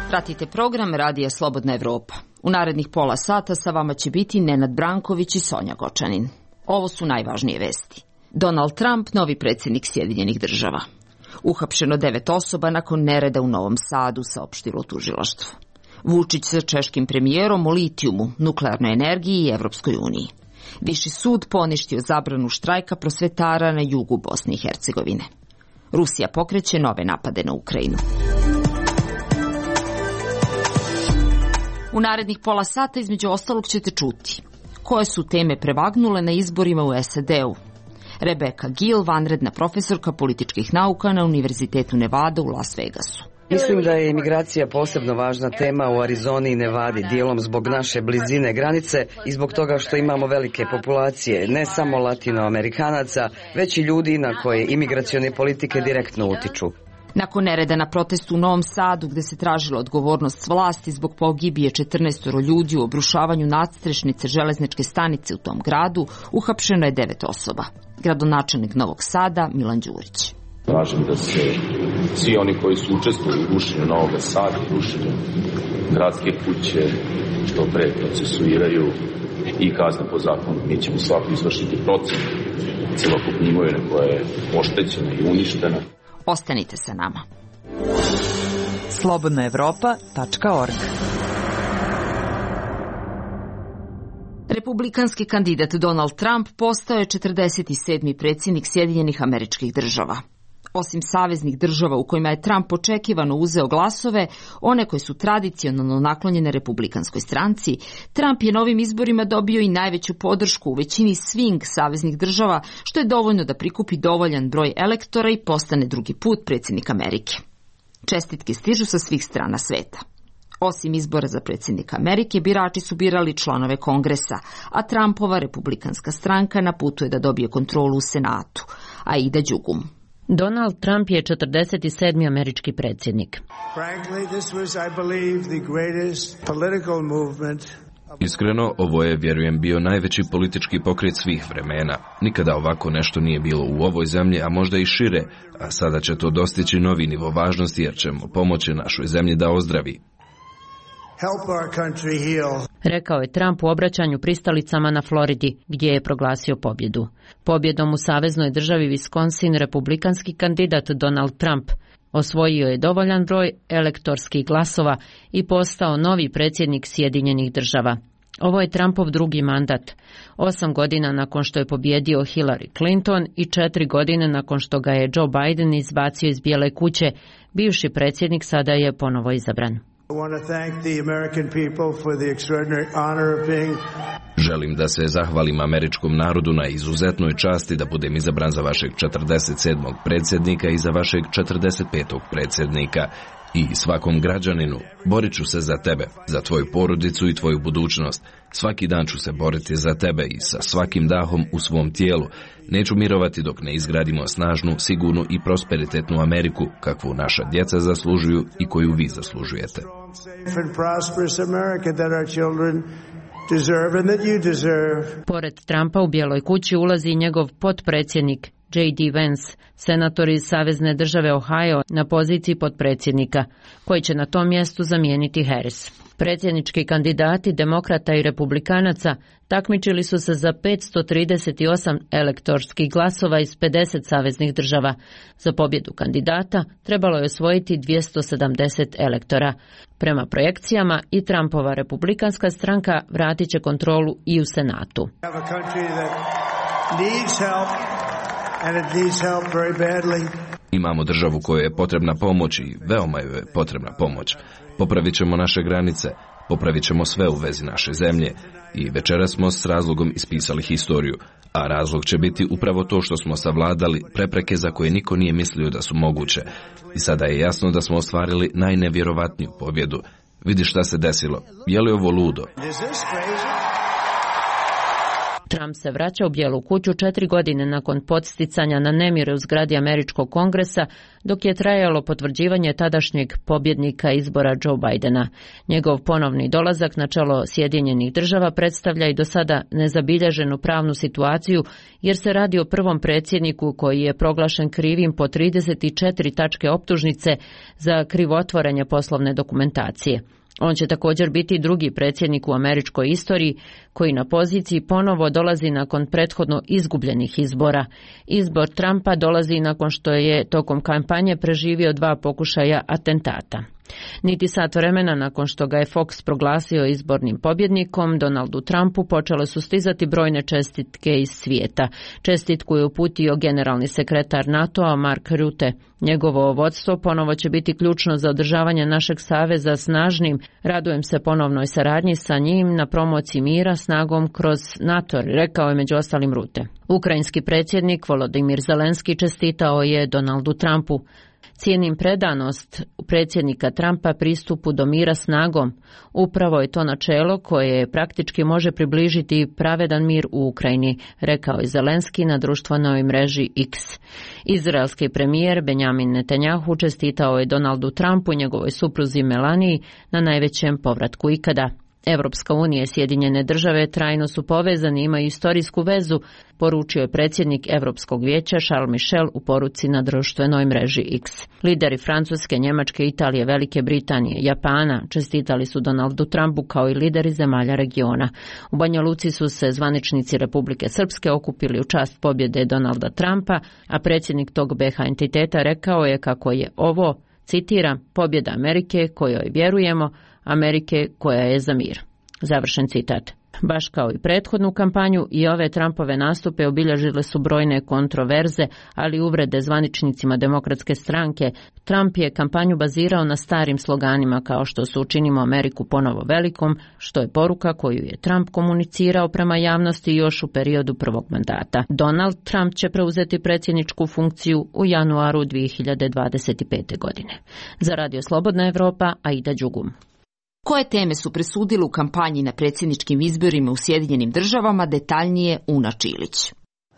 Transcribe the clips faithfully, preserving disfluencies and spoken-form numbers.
Pratite program Radija Slobodna Evropa. U narednih pola sata sa vama će biti Nenad Branković i Sonja Gočanin. Ovo su najvažnije vesti. Donald Trump, novi predsjednik Sjedinjenih država. Uhapšeno devet osoba nakon nereda u Novom Sadu, saopštilo tužilaštvo. Vučić sa češkim premijerom o litijumu, nuklearnoj energiji i Evropskoj uniji. Viši sud poništio zabranu štrajka prosvetara na jugu Bosne i Hercegovine. Rusija pokreće nove napade na Ukrajinu. U narednih pola sata između ostalog ćete čuti koje su teme prevagnule na izborima u S A D-u. Rebecca Gill, vanredna profesorka političkih nauka na Univerzitetu Nevada u Las Vegasu. Mislim da je imigracija posebno važna tema u Arizoni i Nevadi, dijelom zbog naše blizine granice i zbog toga što imamo velike populacije, ne samo latinoamerikanaca, već i ljudi na koje imigracione politike direktno utiču. Nakon nereda na protestu u Novom Sadu, gde se tražila odgovornost vlasti zbog pogibije četrnaestoro ljudi u obrušavanju nadstrešnice železničke stanice u tom gradu, uhapšeno je devet osoba. Gradonačelnik Novog Sada, Milan Đurić. Tražim da se svi oni koji su učestvovali u rušenju Novog Sada, rušenju gradske kuće, što pre procesuiraju i kazne po zakonu. Mi ćemo svako izvršiti procenu celokupne imovine koja je oštećena i uništena. Ostanite sa nama. slobodna evropa tačka org. Republikanski kandidat Donald Trump postao je četrdeset sedmi predsjednik Sjedinjenih Američkih Država. Osim saveznih država u kojima je Trump očekivano uzeo glasove, one koje su tradicionalno naklonjene republikanskoj stranci, Trump je na ovim izborima dobio i najveću podršku u većini swing saveznih država, što je dovoljno da prikupi dovoljan broj elektora i postane drugi put predsjednik Amerike. Čestitke stižu sa svih strana sveta. Osim izbora za predsjednika Amerike, birači su birali članove Kongresa, a Trumpova republikanska stranka na putu je da dobije kontrolu u Senatu, a ide đugum. Donald Trump je četrdeset sedmi američki predsjednik. Iskreno, ovo je, vjerujem, bio najveći politički pokret svih vremena. Nikada ovako nešto nije bilo u ovoj zemlji, a možda i šire, a sada će to dostići novi nivo važnosti jer ćemo pomoći našoj zemlji da ozdravi. Rekao je Trump u obraćanju pristalicama na Floridi, gdje je proglasio pobjedu. Pobjedom u saveznoj državi Wisconsin republikanski kandidat Donald Trump osvojio je dovoljan broj elektorskih glasova i postao novi predsjednik Sjedinjenih država. Ovo je Trumpov drugi mandat, osam godina nakon što je pobjedio Hillary Clinton i četiri godine nakon što ga je Joe Biden izbacio iz Bijele kuće. Bivši predsjednik sada je ponovo izabran. Želim da se zahvalim američkom narodu na izuzetnoj časti da budem izabran za vašeg četrdeset sedmog predsjednika i za vašeg četrdeset petog predsjednika. I svakom građaninu, borit ću se za tebe, za tvoju porodicu i tvoju budućnost. Svaki dan ću se boriti za tebe i sa svakim dahom u svom tijelu. Neću mirovati dok ne izgradimo snažnu, sigurnu i prosperitetnu Ameriku, kakvu naša djeca zaslužuju i koju vi zaslužujete. Pored Trumpa u Bijeloj kući ulazi njegov potpredsjednik J D Vance, senator iz savezne države Ohio na poziciji potpredsjednika, koji će na tom mjestu zamijeniti Harris. Predsjednički kandidati demokrata i republikanaca takmičili su se za petsto trideset osam elektorskih glasova iz pedeset saveznih država. Za pobjedu kandidata trebalo je osvojiti dvjesto sedamdeset elektora. Prema projekcijama i Trumpova republikanska stranka vratit će kontrolu i u Senatu. Imamo državu kojoj je potrebna pomoć i veoma joj je potrebna pomoć. Popravit ćemo naše granice, popravit ćemo sve u vezi naše zemlje i večeras smo s razlogom ispisali historiju, a razlog će biti upravo to što smo savladali prepreke za koje niko nije mislio da su moguće. I sada je jasno da smo ostvarili najnevjerovatniju pobjedu. Vidi šta se desilo. Je li ovo ludo? Trump se vraća u Bijelu kuću četiri godine nakon podsticanja na nemire u zgradi Američkog kongresa, dok je trajalo potvrđivanje tadašnjeg pobjednika izbora Joe Bidena. Njegov ponovni dolazak na čelo Sjedinjenih država predstavlja i do sada nezabilježenu pravnu situaciju, jer se radi o prvom predsjedniku koji je proglašen krivim po trideset četiri tačke optužnice za krivotvorenje poslovne dokumentacije. On će također biti drugi predsjednik u američkoj istoriji koji na poziciji ponovo dolazi nakon prethodno izgubljenih izbora. Izbor Trumpa dolazi nakon što je tokom kampanje preživio dva pokušaja atentata. Niti sat vremena nakon što ga je Fox proglasio izbornim pobjednikom, Donaldu Trumpu počele su stizati brojne čestitke iz svijeta. Čestitku je uputio generalni sekretar NATO-a Mark Rutte. Njegovo vodstvo ponovo će biti ključno za održavanje našeg saveza snažnim. Radujem se ponovnoj saradnji sa njim na promociji mira snagom kroz NATO, rekao je među ostalim Rutte. Ukrajinski predsjednik Volodymyr Zelenski čestitao je Donaldu Trumpu. Cijenim predanost predsjednika Trumpa pristupu do mira snagom. Upravo je to načelo koje praktički može približiti pravedan mir u Ukrajini, rekao je Zelenski na društvenoj mreži X. Izraelski premijer Benjamin Netanjahu čestitao je Donaldu Trumpu i njegovoj supruzi Melaniji na najvećem povratku ikada. Evropska unija i Sjedinjene države trajno su povezani i imaju istorijsku vezu, poručio je predsjednik Europskog vijeća Charles Michel u poruci na društvenoj mreži X. Lideri Francuske, Njemačke, Italije, Velike Britanije, Japana čestitali su Donaldu Trumpu kao i lideri zemalja regiona. U Banja Luci su se zvaničnici Republike Srpske okupili u čast pobjede Donalda Trumpa, a predsjednik tog B H entiteta rekao je kako je ovo, citiram, pobjeda Amerike kojoj vjerujemo, Amerike koja je za mir. Završen citat. Baš kao i prethodnu kampanju, i ove Trumpove nastupe obilježile su brojne kontroverze, ali i uvrede zvaničnicima demokratske stranke. Trump je kampanju bazirao na starim sloganima kao što su učinimo Ameriku ponovo velikom, što je poruka koju je Trump komunicirao prema javnosti još u periodu prvog mandata. Donald Trump će preuzeti predsjedničku funkciju u januaru dvije hiljade dvadeset pete. godine. Za Radio Slobodna Evropa, Aida Đugum. Koje teme su presudile u kampanji na predsjedničkim izborima u Sjedinjenim državama, detaljnije Una Čilić.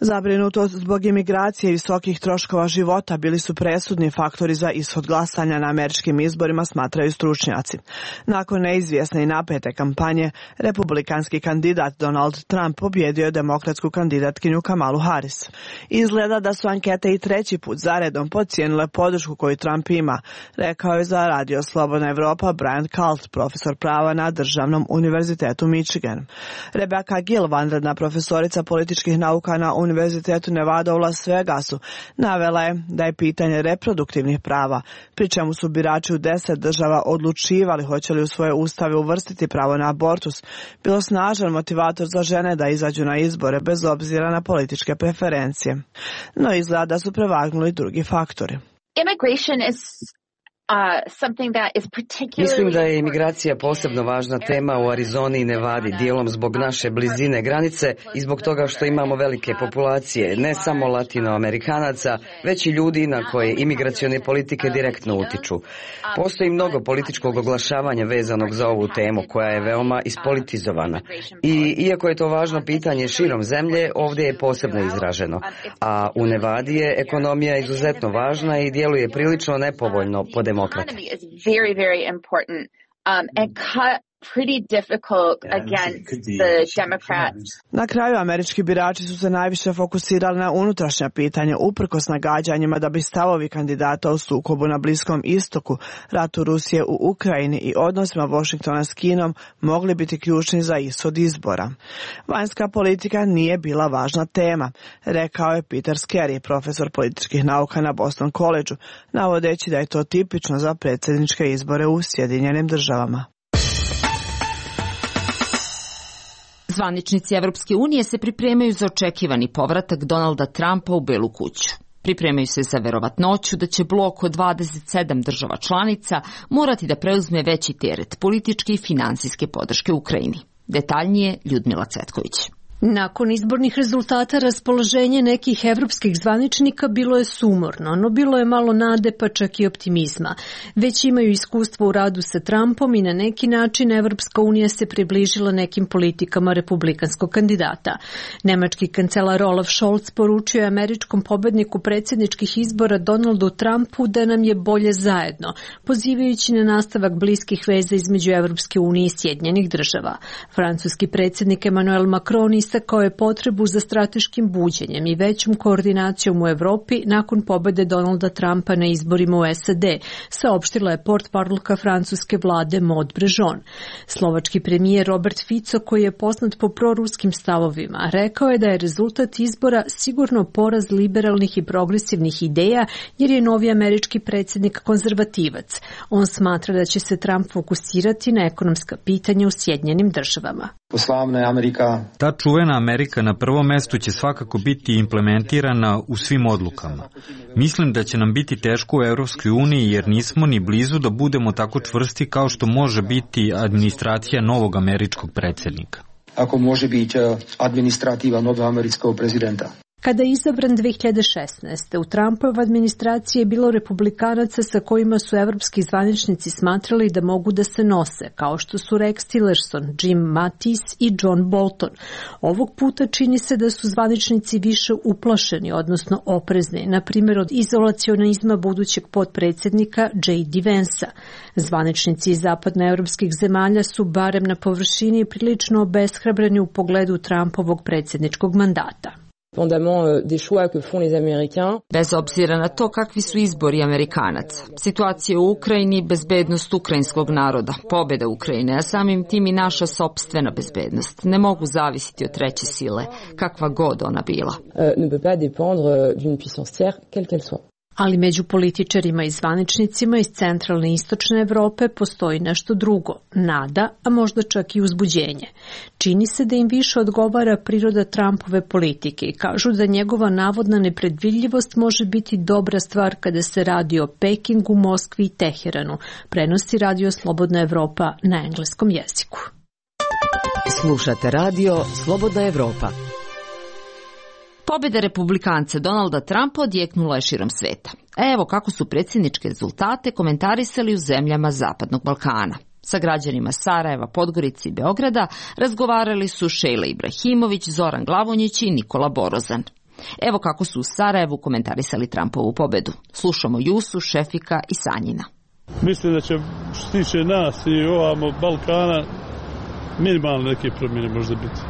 Zabrinutost zbog imigracije i visokih troškova života bili su presudni faktori za ishod glasanja na američkim izborima, smatraju stručnjaci. Nakon neizvjesne i napete kampanje, republikanski kandidat Donald Trump pobjedio je demokratsku kandidatkinju Kamalu Harris. Izgleda da su ankete i treći put zaredom podcijenile podršku koju Trump ima, rekao je za Radio Slobodna Evropa Brian Kalt, profesor prava na Državnom univerzitetu Michigan. Rebecca Gill, vanredna profesorica političkih nauka na Univerzitetu Nevada u Las Vegasu, navela je da je pitanje reproduktivnih prava, pri čemu su birači u deset država odlučivali hoće li u svoje ustave uvrstiti pravo na abortus, bilo snažan motivator za žene da izađu na izbore bez obzira na političke preferencije. No izgleda da su prevagnuli drugi faktori. Immigration is Mislim da je imigracija posebno važna tema u Arizoni i Nevadi, dijelom zbog naše blizine granice i zbog toga što imamo velike populacije, ne samo latinoamerikanaca, već i ljudi na koje imigracione politike direktno utiču. Postoji mnogo političkog oglašavanja vezanog za ovu temu koja je veoma ispolitizovana. I iako je to važno pitanje širom zemlje, ovdje je posebno izraženo. A u Nevadi je ekonomija izuzetno važna i djeluje prilično nepovoljno po demokrate. Very, very important, um, and cut pretty difficult against the Democrats. Na kraju američki birači su se najviše fokusirali na unutrašnja pitanja uprkos nagađanjima da bi stavovi kandidata o sukobu na Bliskom istoku, ratu Rusije u Ukrajini i odnosima Washingtona s Kinom mogli biti ključni za ishod izbora. Vanjska politika nije bila važna tema, rekao je Peter Skerry, profesor političkih nauka na Boston College-u, navodeći da je to tipično za predsjedničke izbore u Sjedinjenim državama. Zvaničnici Evropske unije se pripremaju za očekivani povratak Donalda Trumpa u Belu kuću. Pripremaju se za verovatnoću da će blok od dvadeset sedam država članica morati da preuzme veći teret političke i finansijske podrške Ukrajini. Detaljnije Ljudmila Cvetković. Nakon izbornih rezultata raspoloženje nekih evropskih zvaničnika bilo je sumorno, no bilo je malo nade pa čak i optimizma. Već imaju iskustvo u radu sa Trumpom i na neki način Evropska unija se približila nekim politikama republikanskog kandidata. Nemački kancelar Olaf Scholz poručio je američkom pobedniku predsjedničkih izbora Donaldu Trumpu da nam je bolje zajedno, pozivajući na nastavak bliskih veza između Evropske unije i Sjedinjenih država. Francuski predsjednik Emmanuel Macron istakao je potrebu za strateškim buđenjem i većom koordinacijom u Evropi nakon pobede Donalda Trumpa na izborima u S A D, saopštila je portparolka francuske vlade Maud Brejon. Slovački premijer Robert Fico, koji je poznat po proruskim stavovima, rekao je da je rezultat izbora sigurno poraz liberalnih i progresivnih ideja, jer je novi američki predsjednik konzervativac. On smatra da će se Trump fokusirati na ekonomska pitanja u Sjedinjenim državama. Amerika. Ta čuvena Amerika na prvom mestu će svakako biti implementirana u svim odlukama. Mislim da će nam biti teško u Evropskoj uniji jer nismo ni blizu da budemo tako čvrsti kao što može biti administracija novog američkog predsjednika. Ako može biti administrativa novog američkog prezidenta. Kada je izabran dve hiljade šesnaeste. u Trumpovoj administraciji je bilo republikanaca sa kojima su evropski zvaničnici smatrali da mogu da se nose, kao što su Rex Tillerson, Jim Mattis i John Bolton. Ovog puta čini se da su zvaničnici više uplašeni, odnosno oprezni, na primjer od izolacionizma budućeg potpredsjednika J D Vansa. Zvaničnici iz zapadnoevropskih zemalja su barem na površini prilično obeshrabreni u pogledu Trumpovog predsjedničkog mandata. Bez obzira na to kakvi su izbori Amerikanaca, situacija u Ukrajini, bezbednost ukrajinskog naroda, pobjeda Ukrajine, a samim tim i naša sopstvena bezbednost, ne mogu zavisiti od treće sile, kakva god ona bila. Ali među političarima i zvaničnicima iz centralne i istočne Evrope postoji nešto drugo, nada, a možda čak i uzbuđenje. Čini se da im više odgovara priroda Trumpove politike i kažu da njegova navodna nepredvidljivost može biti dobra stvar kada se radi o Pekingu, Moskvi i Teheranu, prenosi radio Slobodna Evropa na engleskom jeziku. Slušate radio Slobodna Evropa. Pobjeda republikanca Donalda Trumpa odjeknula je širom sveta. Evo kako su predsjedničke rezultate komentarisali u zemljama Zapadnog Balkana. Sa građanima Sarajeva, Podgorice i Beograda razgovarali su Šejla Ibrahimović, Zoran Glavonjić i Nikola Borozan. Evo kako su u Sarajevu komentarisali Trumpovu pobjedu. Slušamo Jusu, Šefika i Sanjina. Mislim da će, što se tiče nas i ovamo Balkana, minimalne neke promjene možda biti.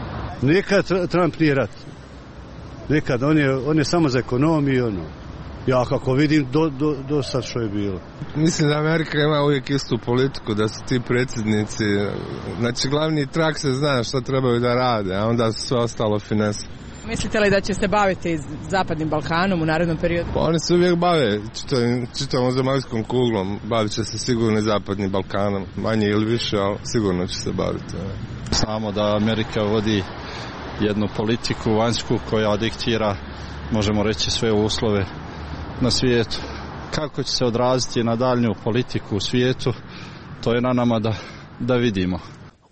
Nikad Trump nije rat. Nikad, on je, on je samo za ekonomiju, ono. Ja kako vidim, do, do, do sad što je bilo. Mislim da Amerika ima uvijek istu politiku, da su ti predsjednici, znači glavni trak se zna što trebaju da rade, a onda su sve ostalo finese. Mislite li da će se baviti Zapadnim Balkanom u narednom periodu? Pa oni se uvijek bave čitavom zemaljskom kuglom, bavit će se sigurno i Zapadnim Balkanom, manje ili više, ali sigurno će se baviti. Samo da Amerika vodi jednu politiku vanjsku koja diktira, možemo reći, sve uslove na svijetu. Kako će se odraziti na daljnju politiku u svijetu, to je na nama da, da vidimo.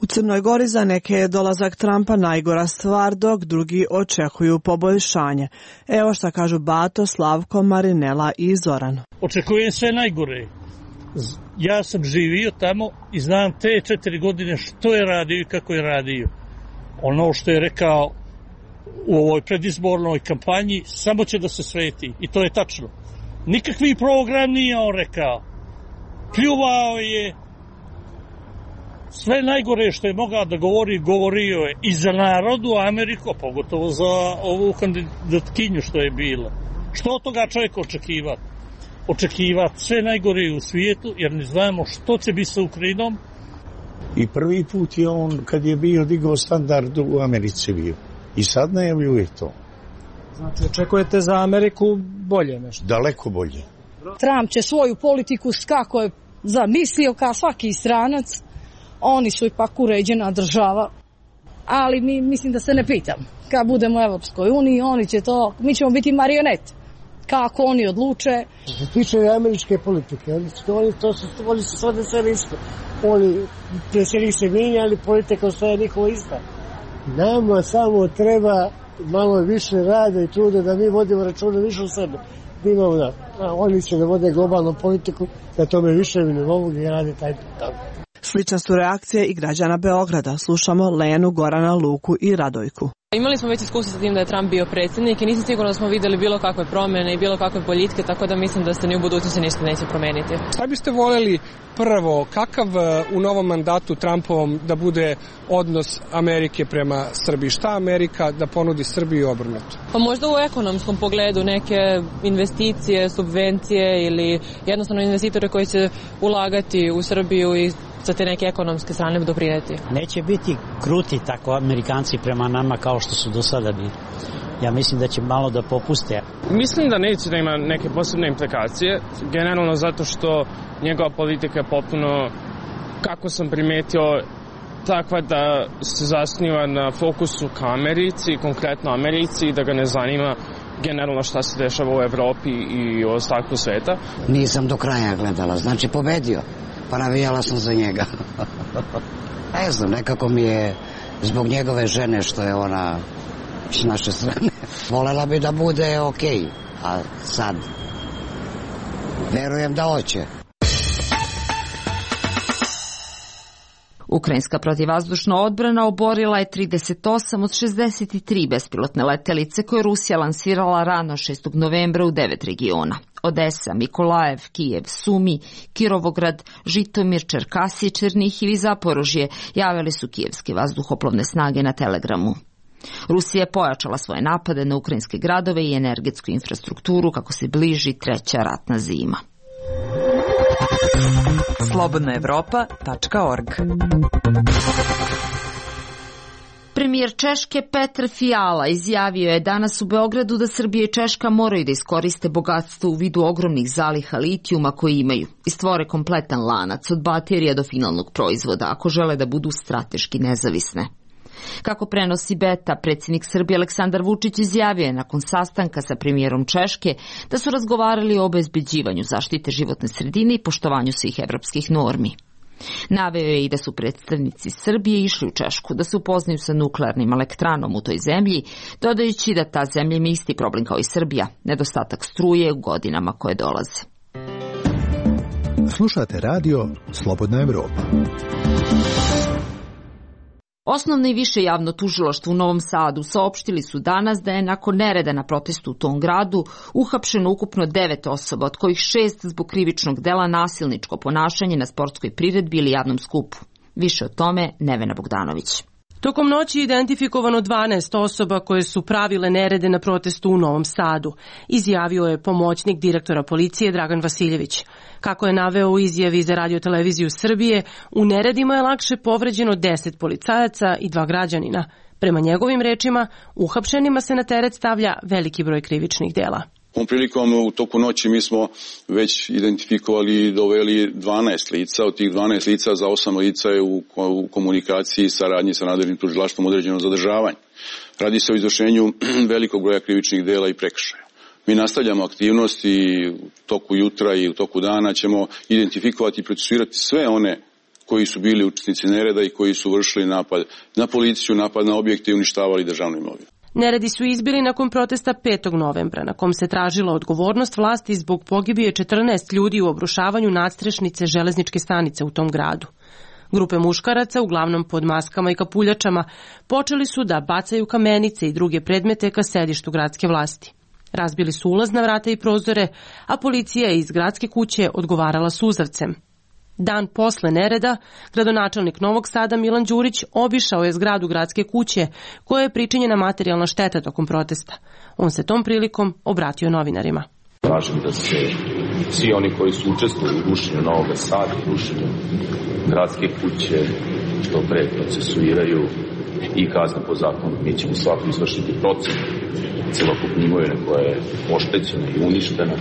U Crnoj Gori za neke je dolazak Trumpa najgora stvar, dok drugi očekuju poboljšanje. Evo šta kažu Bato, Slavko, Marinela i Zoran. Očekujem sve najgore. Ja sam živio tamo i znam te četiri godine što je radio i kako je radio. Ono što je rekao u ovoj predizbornoj kampanji samo će da se sveti i to je tačno. Nikakvi program nije on rekao. Pljuvao je, sve najgore što je mogao da govori, govorio je i za narodu Ameriku, pogotovo za ovu kandidatkinju što je bilo. Što od toga čovjek očekivati? Očekivati sve najgore u svijetu jer ne znamo što će biti sa Ukrajinom. I prvi put je on, kad je bio, digao standard u Americi bio. I sad najavljuje to. Znači, očekujete za Ameriku bolje nešto? Daleko bolje. Trump će svoju politiku kako je zamislio, kao svaki stranac. Oni su ipak uređena država. Ali mi, mislim da se ne pitam. Kad budemo u Evropskoj uniji, oni će to, mi ćemo biti marionet. Kako oni odluče. Što se tiče američke politike, oni, oni, to su, oni su sve sve isto. Oni predsjednik se mijenja, ali politika ostaje njihova ista. Nama samo treba malo više rada i truda da mi vodimo računa više u sebe. Da imamo da, a oni će da vode globalnu politiku, da tome više mi ne mogu da rade taj tamo. Slične su reakcije i građana Beograda. Slušamo Lenu, Gorana, Luku i Radojku. Imali smo već iskustvo sa tim da je Trump bio predsjednik i nisam sigurna da smo vidjeli bilo kakve promjene i bilo kakve boljitke, tako da mislim da se ni u budućnosti ništa neće promijeniti. Šta biste voljeli prvo, kakav u novom mandatu Trumpovom da bude odnos Amerike prema Srbiji? Šta Amerika da ponudi Srbiji obrnuto? Pa možda u ekonomskom pogledu neke investicije, subvencije ili jednostavno investitore koji će ulagati u Srbiju i sa te neke ekonomske strane doprineti. Neće biti kruti tako Amerikanci prema nama kao što su do sada bili. Ja mislim da će malo da popuste. Mislim da neće da ima neke posebne implikacije, generalno zato što njegova politika je potpuno, kako sam primetio, takva da se zasniva na fokusu ka Americi, konkretno Americi, i da ga ne zanima generalno šta se dešava u Evropi i u ostatku sveta. Nisam do kraja gledala, znači pobedio, pa navijala sam za njega. Ne znam, nekako mi je zbog njegove žene što je ona s naše strane. Volela bi da bude okej, a sad verujem da hoće. Ukrajinska protivvazdušna odbrana oborila je trideset osam od šezdeset tri bespilotne letelice koje je Rusija lansirala rano šestog novembra u devet regiona. Odesa, Mikolajev, Kijev, Sumi, Kirovograd, Žitomir, Čerkasi, Černihiv i Zaporožje javili su kijevske vazduhoplovne snage na Telegramu. Rusija je pojačala svoje napade na ukrajinske gradove i energetsku infrastrukturu kako se bliži treća ratna zima. slobodna evropa tačka org. Premijer Češke Petr Fiala izjavio je danas u Beogradu da Srbija i Češka moraju da iskoriste bogatstvo u vidu ogromnih zaliha litijuma koje imaju i stvore kompletan lanac od baterija do finalnog proizvoda ako žele da budu strateški nezavisne. Kako prenosi Beta, predsjednik Srbije Aleksandar Vučić izjavio je nakon sastanka sa premijerom Češke da su razgovarali o obezbeđivanju zaštite životne sredine i poštovanju svih evropskih normi. Naveo je i da su predstavnici Srbije išli u Češku da se upoznaju sa nuklearnim elektranom u toj zemlji, dodajući da ta zemlja ima isti problem kao i Srbija, nedostatak struje u godinama koje dolaze. Slušate radio Slobodna Evropa. Osnovno i više javno tužilaštvo u Novom Sadu saopštili su danas da je nakon nereda na protestu u tom gradu uhapšeno ukupno devet osoba, od kojih šest zbog krivičnog dela nasilničko ponašanje na sportskoj priredbi ili javnom skupu. Više o tome Nevena Bogdanović. Tokom noći identifikovano dvanaest osoba koje su pravile nerede na protestu u Novom Sadu, izjavio je pomoćnik direktora policije Dragan Vasiljević. Kako je naveo u izjavi za Radio-televiziju Srbije, u neredima je lakše povređeno deset policajaca i dva građanina. Prema njegovim rečima, uhapšenima se na teret stavlja veliki broj krivičnih dela. Ovom prilikom u toku noći mi smo već identifikovali i doveli dvanaest lica. Od tih dvanaest lica za osam lica je u komunikaciji i saradnji sa nadležnim tužilaštvom određeno zadržavanje. Radi se o izvršenju velikog broja krivičnih dela i prekršaja. Mi nastavljamo aktivnosti i u toku jutra i u toku dana ćemo identifikovati i procesuirati sve one koji su bili učesnici nereda i koji su vršili napad na policiju, napad na objekte i uništavali državnu imovinu. Neredi su izbili nakon protesta petog novembra, na kom se tražila odgovornost vlasti zbog pogibije četrnaest ljudi u obrušavanju nadstrešnice železničke stanice u tom gradu. Grupe muškaraca, uglavnom pod maskama i kapuljačama, počeli su da bacaju kamenice i druge predmete ka sedištu gradske vlasti. Razbili su ulazna vrata i prozore, a policija je iz gradske kuće odgovarala suzavcem. Dan posle nereda, gradonačelnik Novog Sada Milan Đurić obišao je zgradu gradske kuće koja je pričinjena materijalna šteta tokom protesta. On se tom prilikom obratio novinarima. Tražim da se svi oni koji su učestvovali u rušenju Novog Sada i rušenju gradske kuće što pre procesuiraju i kazne po zakonu. Mi ćemo svako izvršiti procenu celokupne imovine koja je oštećena i uništena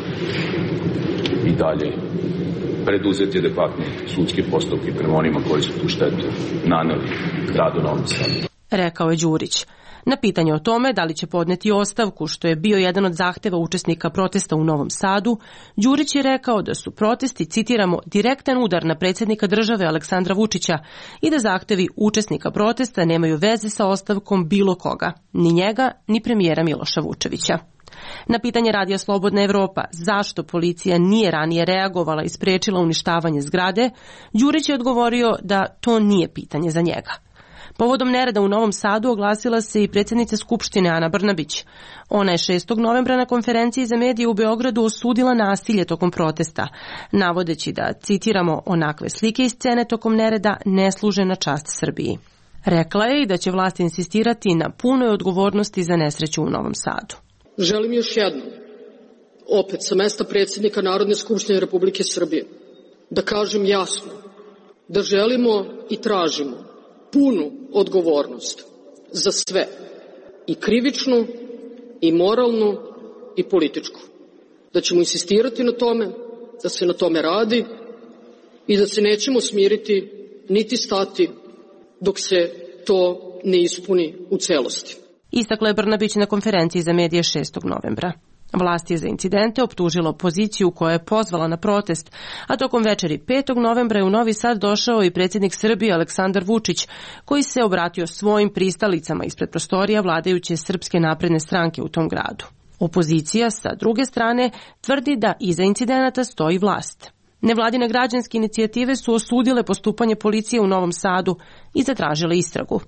i dalje preduzeti adekvatne sudske postupke prema onima koji su tu štetu naneli gradu Novom Sadu. Rekao je Đurić. Na pitanje o tome da li će podneti ostavku, što je bio jedan od zahteva učesnika protesta u Novom Sadu, Đurić je rekao da su protesti, citiramo, direktan udar na predsjednika države Aleksandra Vučića i da zahtevi učesnika protesta nemaju veze sa ostavkom bilo koga, ni njega, ni premijera Miloša Vučevića. Na pitanje Radija Slobodna Evropa zašto policija nije ranije reagovala i sprečila uništavanje zgrade, Đurić je odgovorio da to nije pitanje za njega. Povodom nereda u Novom Sadu oglasila se i predsjednica Skupštine Ana Brnabić. Ona je šestog novembra na konferenciji za medije u Beogradu osudila nasilje tokom protesta, navodeći da, citiramo, onakve slike i scene tokom nereda ne služe na čast Srbiji. Rekla je i da će vlast insistirati na punoj odgovornosti za nesreću u Novom Sadu. Želim još jednom, opet sa mesta predsjednika Narodne skupštine Republike Srbije, da kažem jasno da želimo i tražimo punu odgovornost za sve, i krivičnu, i moralnu, i političku. Da ćemo insistirati na tome, da se na tome radi i da se nećemo smiriti niti stati dok se to ne ispuni u celosti. Istakla je Brnabić na konferenciji za medije šestog novembra. Vlast je za incidente optužila opoziciju koja je pozvala na protest, a tokom večeri petog novembra je u Novi Sad došao i predsjednik Srbije Aleksandar Vučić, koji se obratio svojim pristalicama ispred prostorija vladajuće Srpske napredne stranke u tom gradu. Opozicija, sa druge strane, tvrdi da iza incidenata stoji vlast. Nevladine građanske inicijative su osudile postupanje policije u Novom Sadu i zatražile istragu.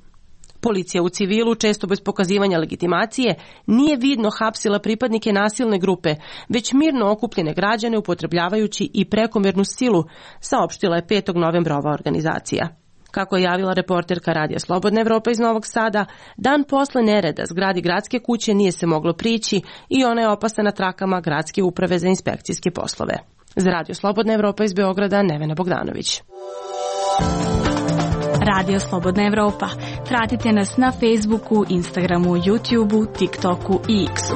Policija u civilu, često bez pokazivanja legitimacije, nije vidno hapsila pripadnike nasilne grupe, već mirno okupljene građane upotrebljavajući i prekomjernu silu, saopštila je petog novembra ova organizacija. Kako je javila reporterka Radija Slobodna Evropa iz Novog Sada, dan posle nereda zgradi gradske kuće nije se moglo prići i ona je opasna na trakama Gradske uprave za inspekcijske poslove. Za Radio Slobodna Evropa iz Beograda, Nevena Bogdanović. Radio Slobodna Evropa. Pratite nas na Facebooku, Instagramu, YouTubeu, TikToku i X-u.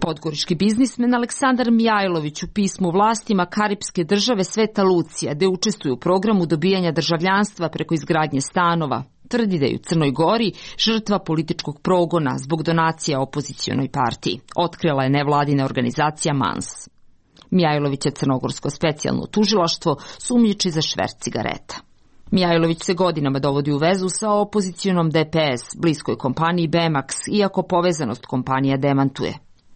Podgorički biznismen Aleksandar Mijajlović u pismu vlastima Karipske države Sveta Lucija, gde učestvuje u programu dobijanja državljanstva preko izgradnje stanova, tvrdi da je u Crnoj Gori žrtva političkog progona zbog donacija opozicionoj partiji. Otkrila je nevladina organizacija MANS. Mijajlović je crnogorsko specijalno tužilaštvo sumnjiči za šverc cigareta. Mijajlović se godinama dovodi u vezu sa opozicionom D P S, bliskoj kompaniji Bemax, iako povezanost kompanija demantuje.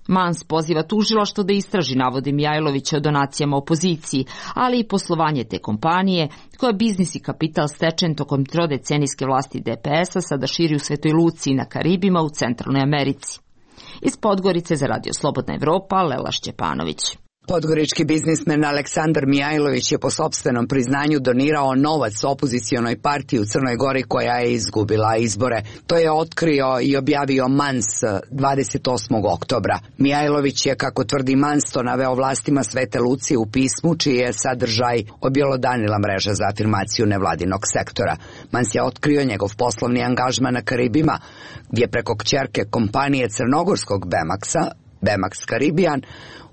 MANS poziva tužilaštvo da istraži navode Mijajlovića o donacijama opoziciji, ali i poslovanje te kompanije, koja biznis i kapital stečen tokom trodecenijske vlasti D P S-a sada širi u Svetoj Luciji na Karibima u Centralnoj Americi. Iz Podgorice za Radio Slobodna Evropa, Lela Šćepanović. Podgorički biznismen Aleksandar Mijajlović je po sopstvenom priznanju donirao novac opozicionoj partiji u Crnoj Gori koja je izgubila izbore. To je otkrio i objavio MANS dvadeset osmog oktobra. Mijajlović je, kako tvrdi MANS, to naveo vlastima Svete Lucije u pismu, čiji je sadržaj objelodanila mreža za afirmaciju nevladinog sektora. MANS je otkrio njegov poslovni angažman na Karibima, gdje preko kćerke kompanije crnogorskog Bemaxa, Bemax Caribbean,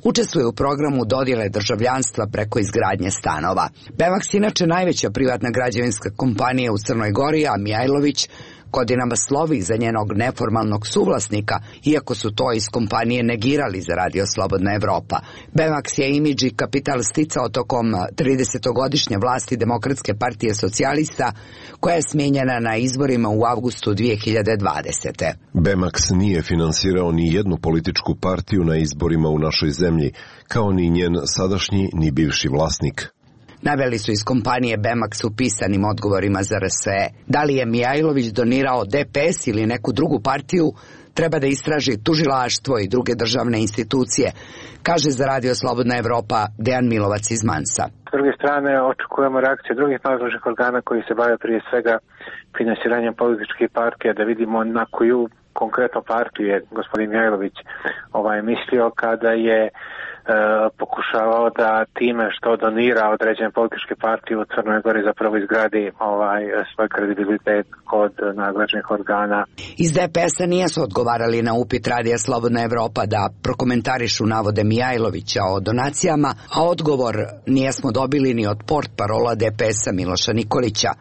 učestvuje u programu dodjele državljanstva preko izgradnje stanova. Bemax je inače najveća privatna građevinska kompanija u Crnoj Gori, a Mijajlović godinama slovi za njenog neformalnog suvlasnika, iako su to iz kompanije negirali za Radio Slobodna Evropa. Bemax je imidž i kapital sticao tokom tridesetogodišnje vlasti Demokratske partije socijalista, koja je smijenjena na izborima u avgustu dvije hiljade dvadesete. Bemax nije finansirao ni jednu političku partiju na izborima u našoj zemlji, kao ni njen sadašnji ni bivši vlasnik. Naveli su iz kompanije Bemax u pisanim odgovorima za R S E. Da li je Mijajlović donirao D P S ili neku drugu partiju, treba da istraži tužilaštvo i druge državne institucije, kaže za Radio Slobodna Evropa Dejan Milovac iz Mansa. S druge strane, očekujemo reakcije drugih nadležnih organa koji se bave prije svega finansiranjem političkih partija, da vidimo na koju konkretno partiju je gospodin Mijajlović ovaj, mislio kada je e, pokušavao da time što donira određene političke partije u Crnoj Gori zapravo izgradi ovaj, svoj kredibilitet kod nadležnih organa. Iz D P S-a nijesu odgovarali na upit Radija Slobodna Evropa da prokomentarišu navode Mijajlovića o donacijama, a odgovor nijesmo dobili ni od portparola D P S-a Miloša Nikolića.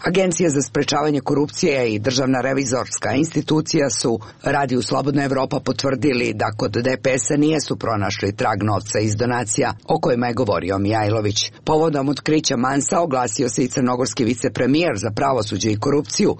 Agencija za sprečavanje korupcije i Državna revizorska institucija su Radiju Slobodna Evropa potvrdili da kod D P S-a nijesu pronašli trag novca iz donacija o kojima je govorio Mijajlović. Povodom otkrića Mansa oglasio se i crnogorski vicepremijer za pravosuđe i korupciju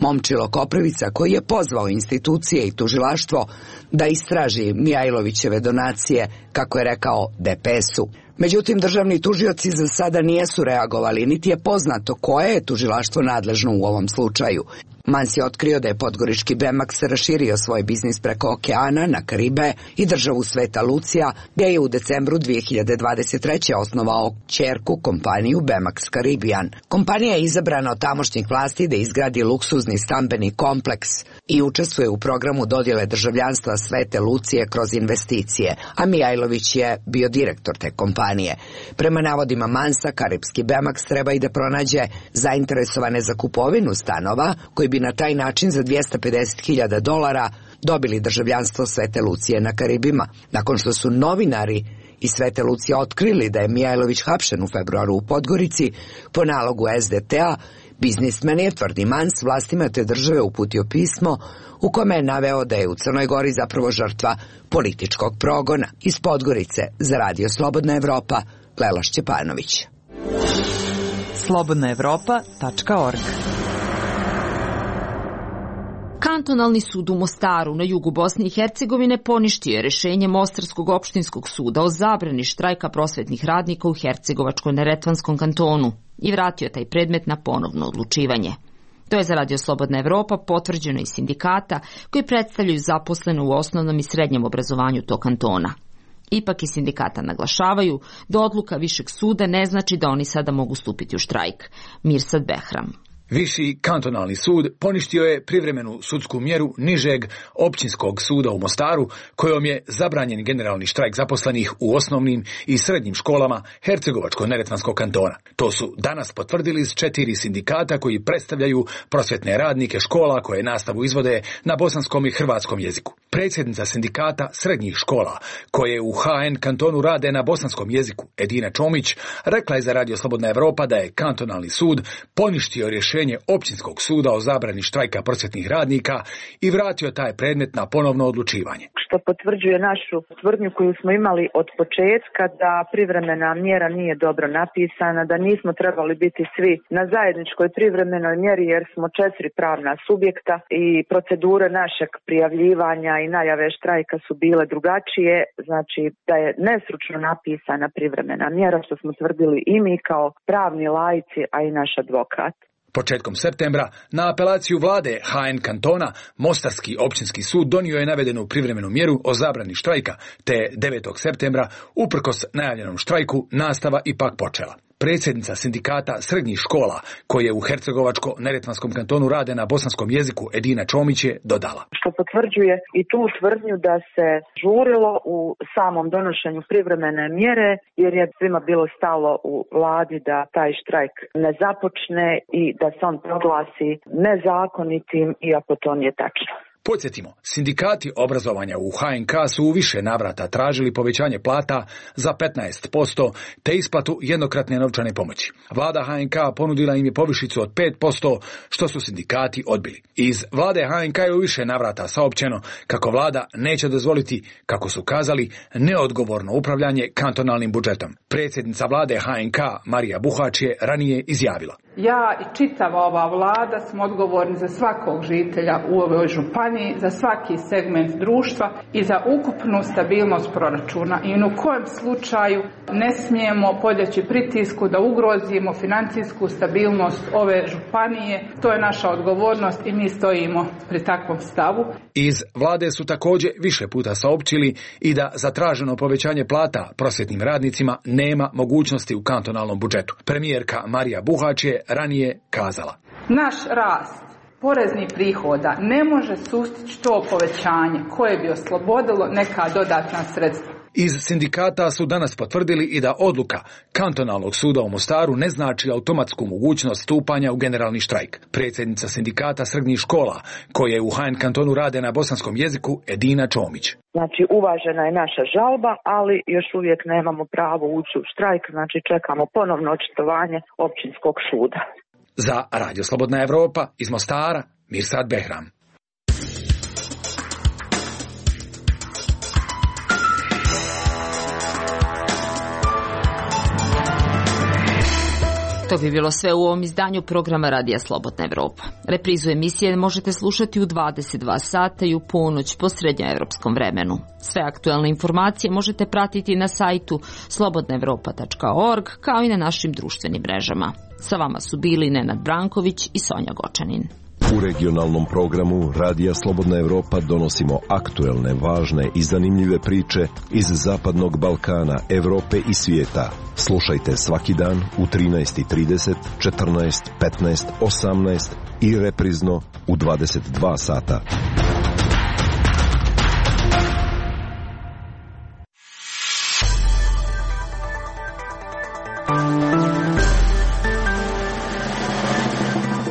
Momčilo Koprivica, koji je pozvao institucije i tužilaštvo da istraži Mijajlovićeve donacije, kako je rekao D P S-u. Međutim, državni tužioci za sada nijesu reagovali, niti je poznato koje je tužilaštvo nadležno u ovom slučaju. Mans je otkrio da je podgorički Bemax raširio svoj biznis preko okeana na Karibe i državu Sveta Lucija, gdje je u decembru dvije hiljade dvadeset treće osnovao ćerku kompaniju Bemax Caribbean. Kompanija je izabrana od tamošnjih vlasti da izgradi luksuzni stambeni kompleks i učestvuje u programu dodjele državljanstva Svete Lucije kroz investicije, a Mijajlović je bio direktor te kompanije. Prema navodima Mansa, karipski Bemax treba i da pronađe zainteresovane za kupovinu stanova koji bi na taj način za dvjesto pedeset hiljada dolara dobili državljanstvo Svete Lucije na Karibima. Nakon što su novinari iz Svete Lucije otkrili da je Mijajlović hapšen u februaru u Podgorici po nalogu S D T-a, biznismen je, tvrdi Mans, vlastima te države uputio pismo u kome je naveo da je u Crnoj Gori zapravo žrtva političkog progona. Iz Podgorice za Radio Slobodna Evropa, Lela Šćepanović. slobodna evropa tačka org. Kantonalni sud u Mostaru na jugu Bosne i Hercegovine poništio je rješenje Mostarskog opštinskog suda o zabrani štrajka prosvetnih radnika u Hercegovačko-neretvanskom kantonu i vratio taj predmet na ponovno odlučivanje. To je za Radio Slobodna Evropa potvrđeno iz sindikata koji predstavljaju zaposlene u osnovnom i srednjem obrazovanju tog kantona. Ipak iz sindikata naglašavaju da odluka Višeg suda ne znači da oni sada mogu stupiti u štrajk. Mirsad Behram. Viši kantonalni sud poništio je privremenu sudsku mjeru nižeg općinskog suda u Mostaru, kojom je zabranjen generalni štrajk zaposlenih u osnovnim i srednjim školama Hercegovačko-neretvanskog kantona. To su danas potvrdili s četiri sindikata koji predstavljaju prosvjetne radnike škola koje nastavu izvode na bosanskom i hrvatskom jeziku. Predsjednica sindikata srednjih škola, koje u H N kantonu rade na bosanskom jeziku, Edina Čomić, rekla je za Radio Slobodna Evropa da je kantonalni sud poništio rješenje općinskog suda o zabrani štrajka prosvjetnih radnika i vratio taj predmet na ponovno odlučivanje. Što potvrđuje našu tvrdnju koju smo imali od početka da privremena mjera nije dobro napisana, da nismo trebali biti svi na zajedničkoj privremenoj mjeri jer smo četiri pravna subjekta i procedure našeg prijavljivanja i najave štrajka su bile drugačije, znači da je nesručno napisana privremena mjera, što smo tvrdili i mi kao pravni laici, a i naš advokat. Početkom septembra, na apelaciju vlade H N kantona, Mostarski općinski sud donio je navedenu privremenu mjeru o zabrani štrajka, te devetog septembra, uprkos najavljenom štrajku, nastava ipak počela. Predsjednica sindikata srednjih škola, koje u Hercegovačko-neretvanskom kantonu rade na bosanskom jeziku, Edina Čomić, je dodala. Što potvrđuje i tu tvrdnju da se žurilo u samom donošenju privremene mjere, jer je svima bilo stalo u vladi da taj štrajk ne započne i da se on proglasi nezakonitim, iako to nije tačno. Podsjetimo, sindikati obrazovanja u H N K su u više navrata tražili povećanje plata za petnaest posto te isplatu jednokratne novčane pomoći. Vlada H N K ponudila im je povišicu od pet posto, što su sindikati odbili. Iz vlade H N K je u više navrata saopćeno kako vlada neće dozvoliti, kako su kazali, neodgovorno upravljanje kantonalnim budžetom. Predsjednica vlade H N K Marija Buhač je ranije izjavila. Ja i čitava ova vlada smo odgovorni za svakog žitelja u ovoj županiji, za svaki segment društva i za ukupnu stabilnost proračuna. I u kojem slučaju ne smijemo podleći pritisku da ugrozimo financijsku stabilnost ove županije. To je naša odgovornost i mi stojimo pri takvom stavu. Iz vlade su također više puta saopćili i da za traženo povećanje plata prosvjetnim radnicima nema mogućnosti u kantonalnom budžetu. Premijerka Marija Buhač je ranije kazala. Naš rast poreznih prihoda ne može sustići to povećanje koje bi oslobodilo neka dodatna sredstva. Iz sindikata su danas potvrdili i da odluka kantonalnog suda u Mostaru ne znači automatsku mogućnost stupanja u generalni štrajk. Predsjednica sindikata srednjih škola, koje u H N kantonu rade na bosanskom jeziku, Edina Čomić. Znači, uvažena je naša žalba, ali još uvijek nemamo pravo ući u štrajk, znači čekamo ponovno očitovanje općinskog suda. Za Radio Slobodna Evropa iz Mostara, Mirsad Behram. To bi bilo sve u ovom izdanju programa Radija Slobodna Evropa. Reprizu emisije možete slušati u dvadeset dva sata i u ponoć po srednjoevropskom vremenu. Sve aktuelne informacije možete pratiti na sajtu slobodna evropa tačka org kao i na našim društvenim mrežama. Sa vama su bili Nenad Branković i Sonja Gočanin. U regionalnom programu Radija Slobodna Evropa donosimo aktuelne, važne i zanimljive priče iz Zapadnog Balkana, Evrope i svijeta. Slušajte svaki dan u trinaest i trideset, četrnaest, petnaest, osamnaest i reprizno u dvadeset dva sata.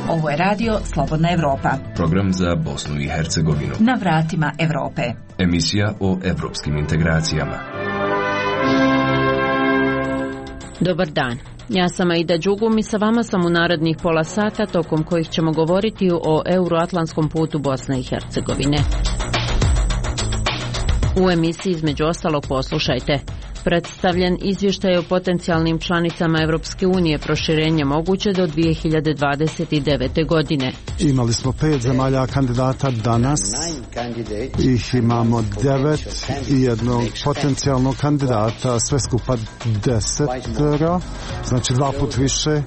Ovo je radio Slobodna Evropa. Program za Bosnu i Hercegovinu. Na vratima Evrope. Emisija o evropskim integracijama. Dobar dan. Ja sam Aida Đugum i sa vama sam u narednih pola sata tokom kojih ćemo govoriti o euroatlantskom putu Bosne i Hercegovine. U emisiji između ostalog poslušajte. Predstavljen izvještaj o potencijalnim članicama Evropske unije, proširenje moguće do dvije hiljade dvadeset devete. godine. Imali smo pet zemalja kandidata danas, ih imamo devet i jednog potencijalnog kandidata, sve skupa desetero, znači dva put više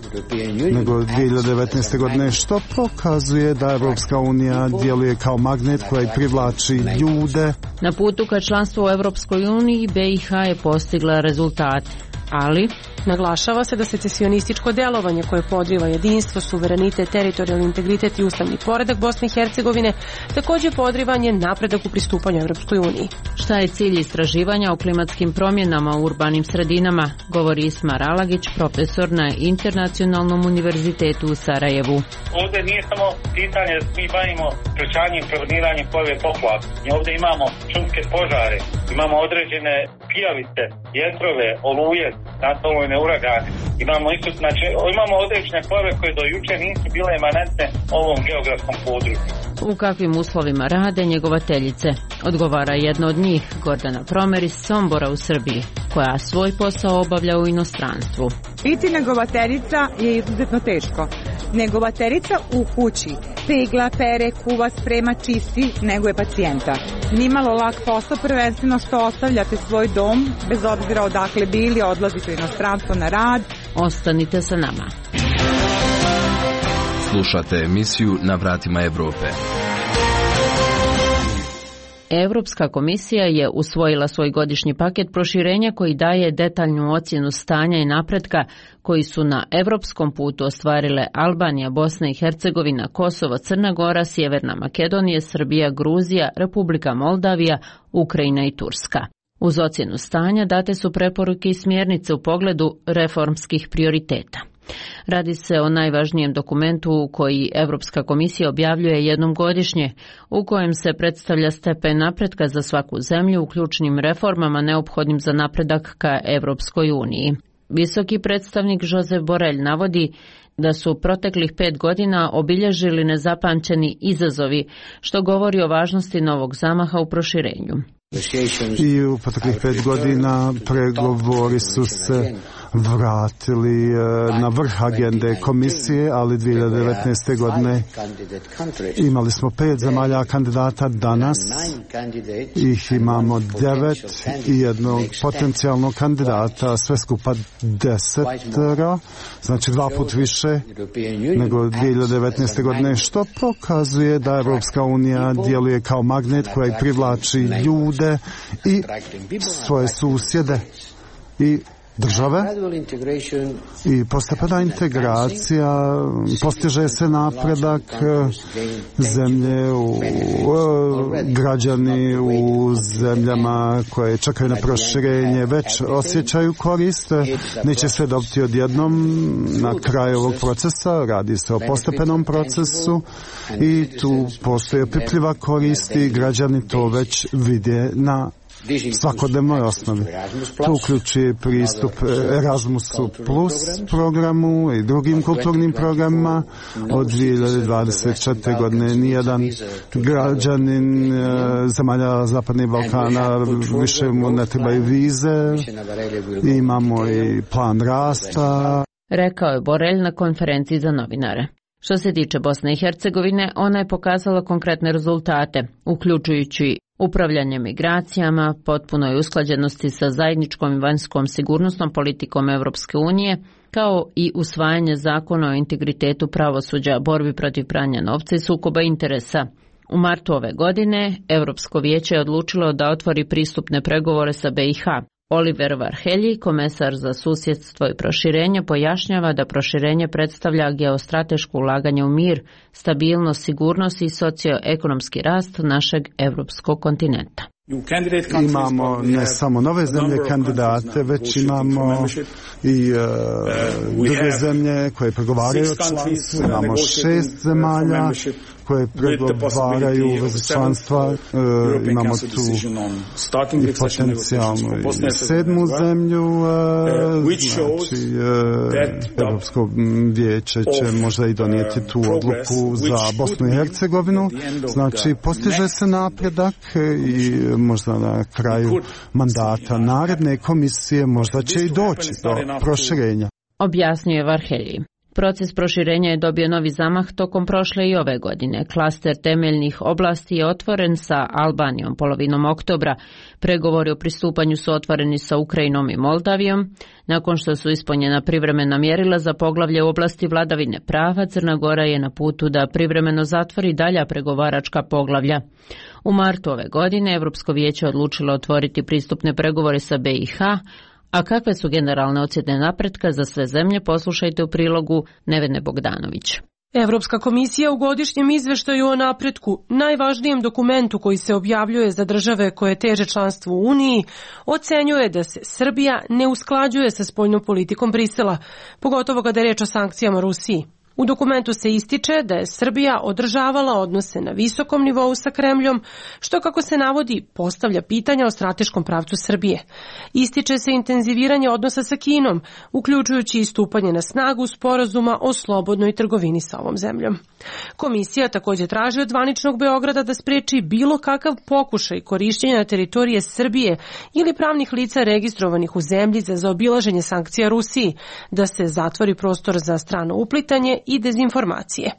nego dvije hiljade devetnaeste. godine, što pokazuje da Evropska unija djeluje kao magnet koji privlači ljude. Na putu ka članstvu u Evropskoj uniji B i H je postigla rezultate, ali naglašava se da secesionističko djelovanje koje podriva jedinstvo, suverenitet, teritorijalni integritet i ustavni poredak Bosne i Hercegovine također podrivanje napredak u pristupanju Evropskoj uniji. Šta je cilj istraživanja o klimatskim promjenama u urbanim sredinama, govori Ismar Alagić, profesor na Internacionalnom univerzitetu u Sarajevu. Ovdje nije samo pitanje da mi bavimo sprečavanjem i preveniranjem pojave poplava. Ovdje imamo šumske požare, imamo određene pijavice, vjetrove, oluje, natalujne uragane. Imamo isto, znači, imamo određene pojave koje do juče nisu bile emanentne ovom geografskom području. U kakvim uslovima rade njegovateljice? Odgovara jedna od njih, Gordana Promer iz Sombora u Srbiji, koja svoj posao obavlja u inostranstvu. Biti njegovateljica je izuzetno teško. Njegovateljica u kući pegla, pere, kuva, sprema, čisti, nego je pacijenta. Nimalo lak posao, prvenstveno što ostavljate svoj dom, bez obzira odakle bili, odlazite u inostranstvo na rad. Ostanite sa nama. Slušate emisiju Na vratima Evrope. Europska komisija je usvojila svoj godišnji paket proširenja koji daje detaljnu ocjenu stanja i napretka koji su na evropskom putu ostvarile Albanija, Bosna i Hercegovina, Kosovo, Crna Gora, Sjeverna Makedonija, Srbija, Gruzija, Republika Moldavija, Ukrajina i Turska. Uz ocjenu stanja date su preporuke i smjernice u pogledu reformskih prioriteta. Radi se o najvažnijem dokumentu koji Europska komisija objavljuje jednom godišnje, u kojem se predstavlja stepen napretka za svaku zemlju u ključnim reformama neophodnim za napredak ka Europskoj uniji. Visoki predstavnik Josep Borrell navodi da su proteklih pet godina obilježili nezapamćeni izazovi, što govori o važnosti novog zamaha u proširenju. I u proteklih pet godina pregovori su se vratili na vrh agende komisije, ali dvije hiljade devetnaeste. godine imali smo pet zemalja kandidata danas, ih imamo devet i jednog potencijalnog kandidata, sve skupa desetero, znači dva put više nego dvije hiljade devetnaeste. godine, što pokazuje da Evropska unija djeluje kao magnet koji privlači ljude i svoje susjede i države i postepena integracija, postiže se napredak zemlje, u, građani u zemljama koje čekaju na proširenje već osjećaju korist, neće sve dobiti odjednom na kraju ovog procesa, radi se o postepenom procesu i tu postoje opipljiva korist i građani to već vide na svakodnevnoj osnovi. To uključuje pristup Erasmusu plus programu i drugim kulturnim programima. Od dvije hiljade dvadeset četvrte. godine nijedan građanin zemalja Zapadnog Balkana više mu ne trebaju vize. Imamo i plan rasta. Rekao je Borelj na konferenciji za novinare. Što se tiče Bosne i Hercegovine, ona je pokazala konkretne rezultate, uključujući upravljanje migracijama, potpunoj usklađenosti sa zajedničkom i vanjskom sigurnosnom politikom Europske unije, kao i usvajanje zakona o integritetu pravosuđa, borbi protiv pranja novca i sukoba interesa. U martu ove godine Europsko vijeće je odlučilo da otvori pristupne pregovore sa B i H. Oliver Varhelyi, komesar za susjedstvo i proširenje, pojašnjava da proširenje predstavlja geostrateško ulaganje u mir, stabilnost, sigurnost i socioekonomski rast našeg europskog kontinenta. Imamo ne samo nove zemlje kandidate, već imamo i uh, druge zemlje koje pregovaraju o članstvu. Imamo šest zemalja koje pregovaraju u vezi članstva. Uh, imamo tu i potencijalnu i sedmu zemlju. Uh, znači, uh, Europsko vijeće će možda i donijeti tu odluku za Bosnu i Hercegovinu. Znači, postiže se napredak i možda na kraju mandata naredne komisije možda će i doći do proširenja. Objasnio je Varhelyi. Proces proširenja je dobio novi zamah tokom prošle i ove godine. Klaster temeljnih oblasti je otvoren sa Albanijom polovinom oktobra. Pregovori o pristupanju su otvoreni sa Ukrajinom i Moldavijom. Nakon što su ispunjena privremena mjerila za poglavlje u oblasti vladavine prava, Crna Gora je na putu da privremeno zatvori dalja pregovaračka poglavlja. U martu ove godine Europsko vijeće odlučilo otvoriti pristupne pregovore sa B i H, a kakve su generalne ocjene napretka za sve zemlje, poslušajte u prilogu Nevene Bogdanović. Evropska komisija u godišnjem izveštaju o napretku, najvažnijem dokumentu koji se objavljuje za države koje teže članstvu u Uniji, ocenjuje da se Srbija ne usklađuje sa spoljnom politikom Brisela, pogotovo kada je reč o sankcijama Rusiji. U dokumentu se ističe da je Srbija održavala odnose na visokom nivou sa Kremljom, što, kako se navodi, postavlja pitanja o strateškom pravcu Srbije. Ističe se intenziviranje odnosa sa Kinom, uključujući i stupanje na snagu sporazuma o slobodnoj trgovini sa ovom zemljom. Komisija također traži od zvaničnog Beograda da spreči bilo kakav pokušaj korišćenja na teritorije Srbije ili pravnih lica registrovanih u zemlji za zaobilaženje sankcija Rusiji, da se zatvori prostor za strano uplitanje i dezinformacije.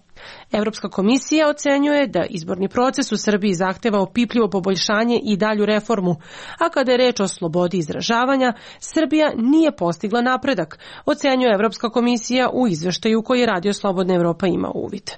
Evropska komisija ocenjuje da izborni proces u Srbiji zahteva opipljivo poboljšanje i dalju reformu, a kada je reč o slobodi izražavanja, Srbija nije postigla napredak, ocenjuje Evropska komisija u izveštaju koji je Radio Slobodna Evropa ima uvid.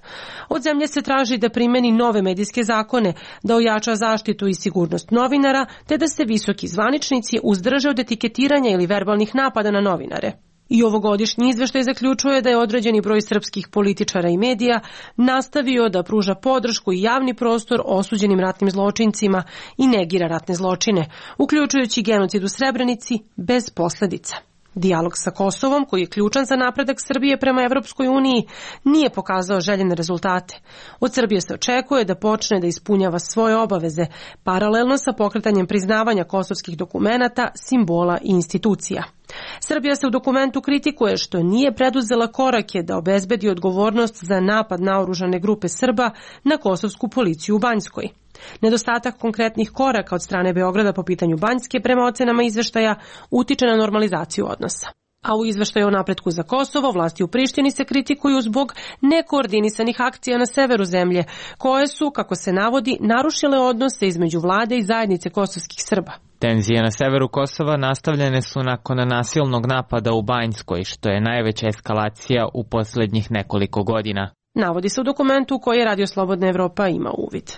Od zemlje se traži da primeni nove medijske zakone, da ojača zaštitu i sigurnost novinara, te da se visoki zvaničnici uzdrže od etiketiranja ili verbalnih napada na novinare. I ovogodišnji izveštaj zaključuje da je određeni broj srpskih političara i medija nastavio da pruža podršku i javni prostor osuđenim ratnim zločincima i negira ratne zločine, uključujući genocid u Srebrenici bez posledica. Dijalog sa Kosovom, koji je ključan za napredak Srbije prema Evropskoj uniji, nije pokazao željene rezultate. Od Srbije se očekuje da počne da ispunjava svoje obaveze, paralelno sa pokretanjem priznavanja kosovskih dokumenata, simbola i institucija. Srbija se u dokumentu kritikuje što nije preduzela korake da obezbedi odgovornost za napad naoružane grupe Srba na kosovsku policiju u Banjskoj. Nedostatak konkretnih koraka od strane Beograda po pitanju Banjske prema ocenama izveštaja utiče na normalizaciju odnosa. A u izveštaju o napretku za Kosovo vlasti u Prištini se kritikuju zbog nekoordinisanih akcija na severu zemlje, koje su, kako se navodi, narušile odnose između vlade i zajednice kosovskih Srba. Tenzije na severu Kosova nastavljene su nakon nasilnog napada u Banjskoj, što je najveća eskalacija u posljednjih nekoliko godina. Navodi se u dokumentu koji je Radio Slobodna Evropa ima uvid.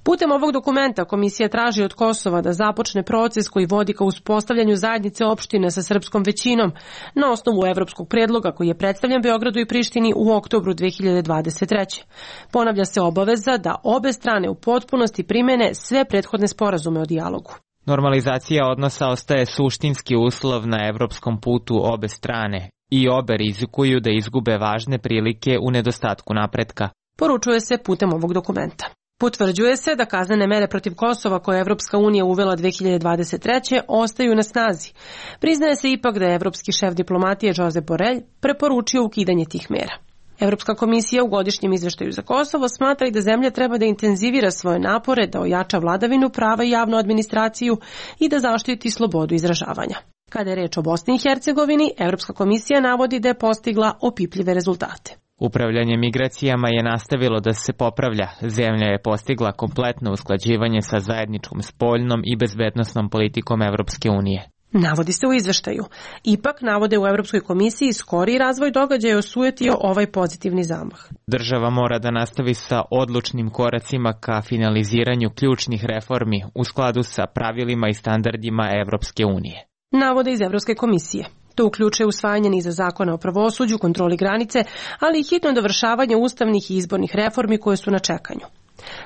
Putem ovog dokumenta komisija traži od Kosova da započne proces koji vodi ka uspostavljanju zajednice opština sa srpskom većinom na osnovu evropskog predloga koji je predstavljen Beogradu i Prištini u oktobru dve hiljade dvadeset treće. Ponavlja se obaveza da obe strane u potpunosti primene sve prethodne sporazume o dijalogu. Normalizacija odnosa ostaje suštinski uslov na evropskom putu obe strane i obe rizikuju da izgube važne prilike u nedostatku napretka. Poručuje se putem ovog dokumenta. Potvrđuje se da kaznene mere protiv Kosova koje je Evropska unija uvela dve hiljade dvadeset treće ostaju na snazi. Priznaje se ipak da je evropski šef diplomatije Josep Borrell preporučio ukidanje tih mera. Evropska komisija u godišnjem izveštaju za Kosovo smatra i da zemlja treba da intenzivira svoje napore, da ojača vladavinu prava i javnu administraciju i da zaštiti slobodu izražavanja. Kada je reč o Bosni i Hercegovini, Evropska komisija navodi da je postigla opipljive rezultate. Upravljanje migracijama je nastavilo da se popravlja. Zemlja je postigla kompletno usklađivanje sa zajedničkom spoljnom i bezbednosnom politikom Evropske unije. Navodi se u izveštaju. Ipak, navode u Evropskoj komisiji, skori razvoj događaja osujetio ovaj pozitivni zamah. Država mora da nastavi sa odlučnim koracima ka finaliziranju ključnih reformi u skladu sa pravilima i standardima Evropske unije. Navode iz Evropske komisije. To uključuje usvajanje niza zakona o pravosuđu, kontroli granice, ali i hitno dovršavanje ustavnih i izbornih reformi koje su na čekanju.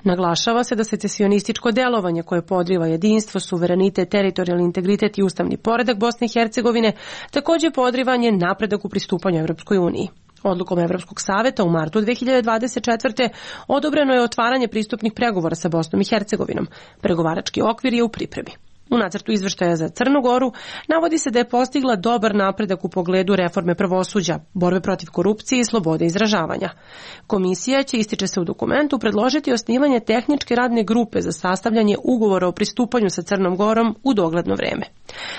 Naglašava se da secesionističko delovanje koje podriva jedinstvo, suverenitet, teritorijalni integritet i ustavni poredak Bosne i Hercegovine također podrivanje napredak u pristupanju Evropskoj uniji. Odlukom Evropskog saveta u martu dve hiljade dvadeset četvrte odobreno je otvaranje pristupnih pregovora sa Bosnom i Hercegovinom. Pregovarački okvir je u pripremi. U nacrtu izveštaja za Crnu Goru navodi se da je postigla dobar napredak u pogledu reforme pravosuđa, borbe protiv korupcije i slobode izražavanja. Komisija će, ističe se u dokumentu, predložiti osnivanje tehničke radne grupe za sastavljanje ugovora o pristupanju sa Crnom Gorom u dogledno vreme.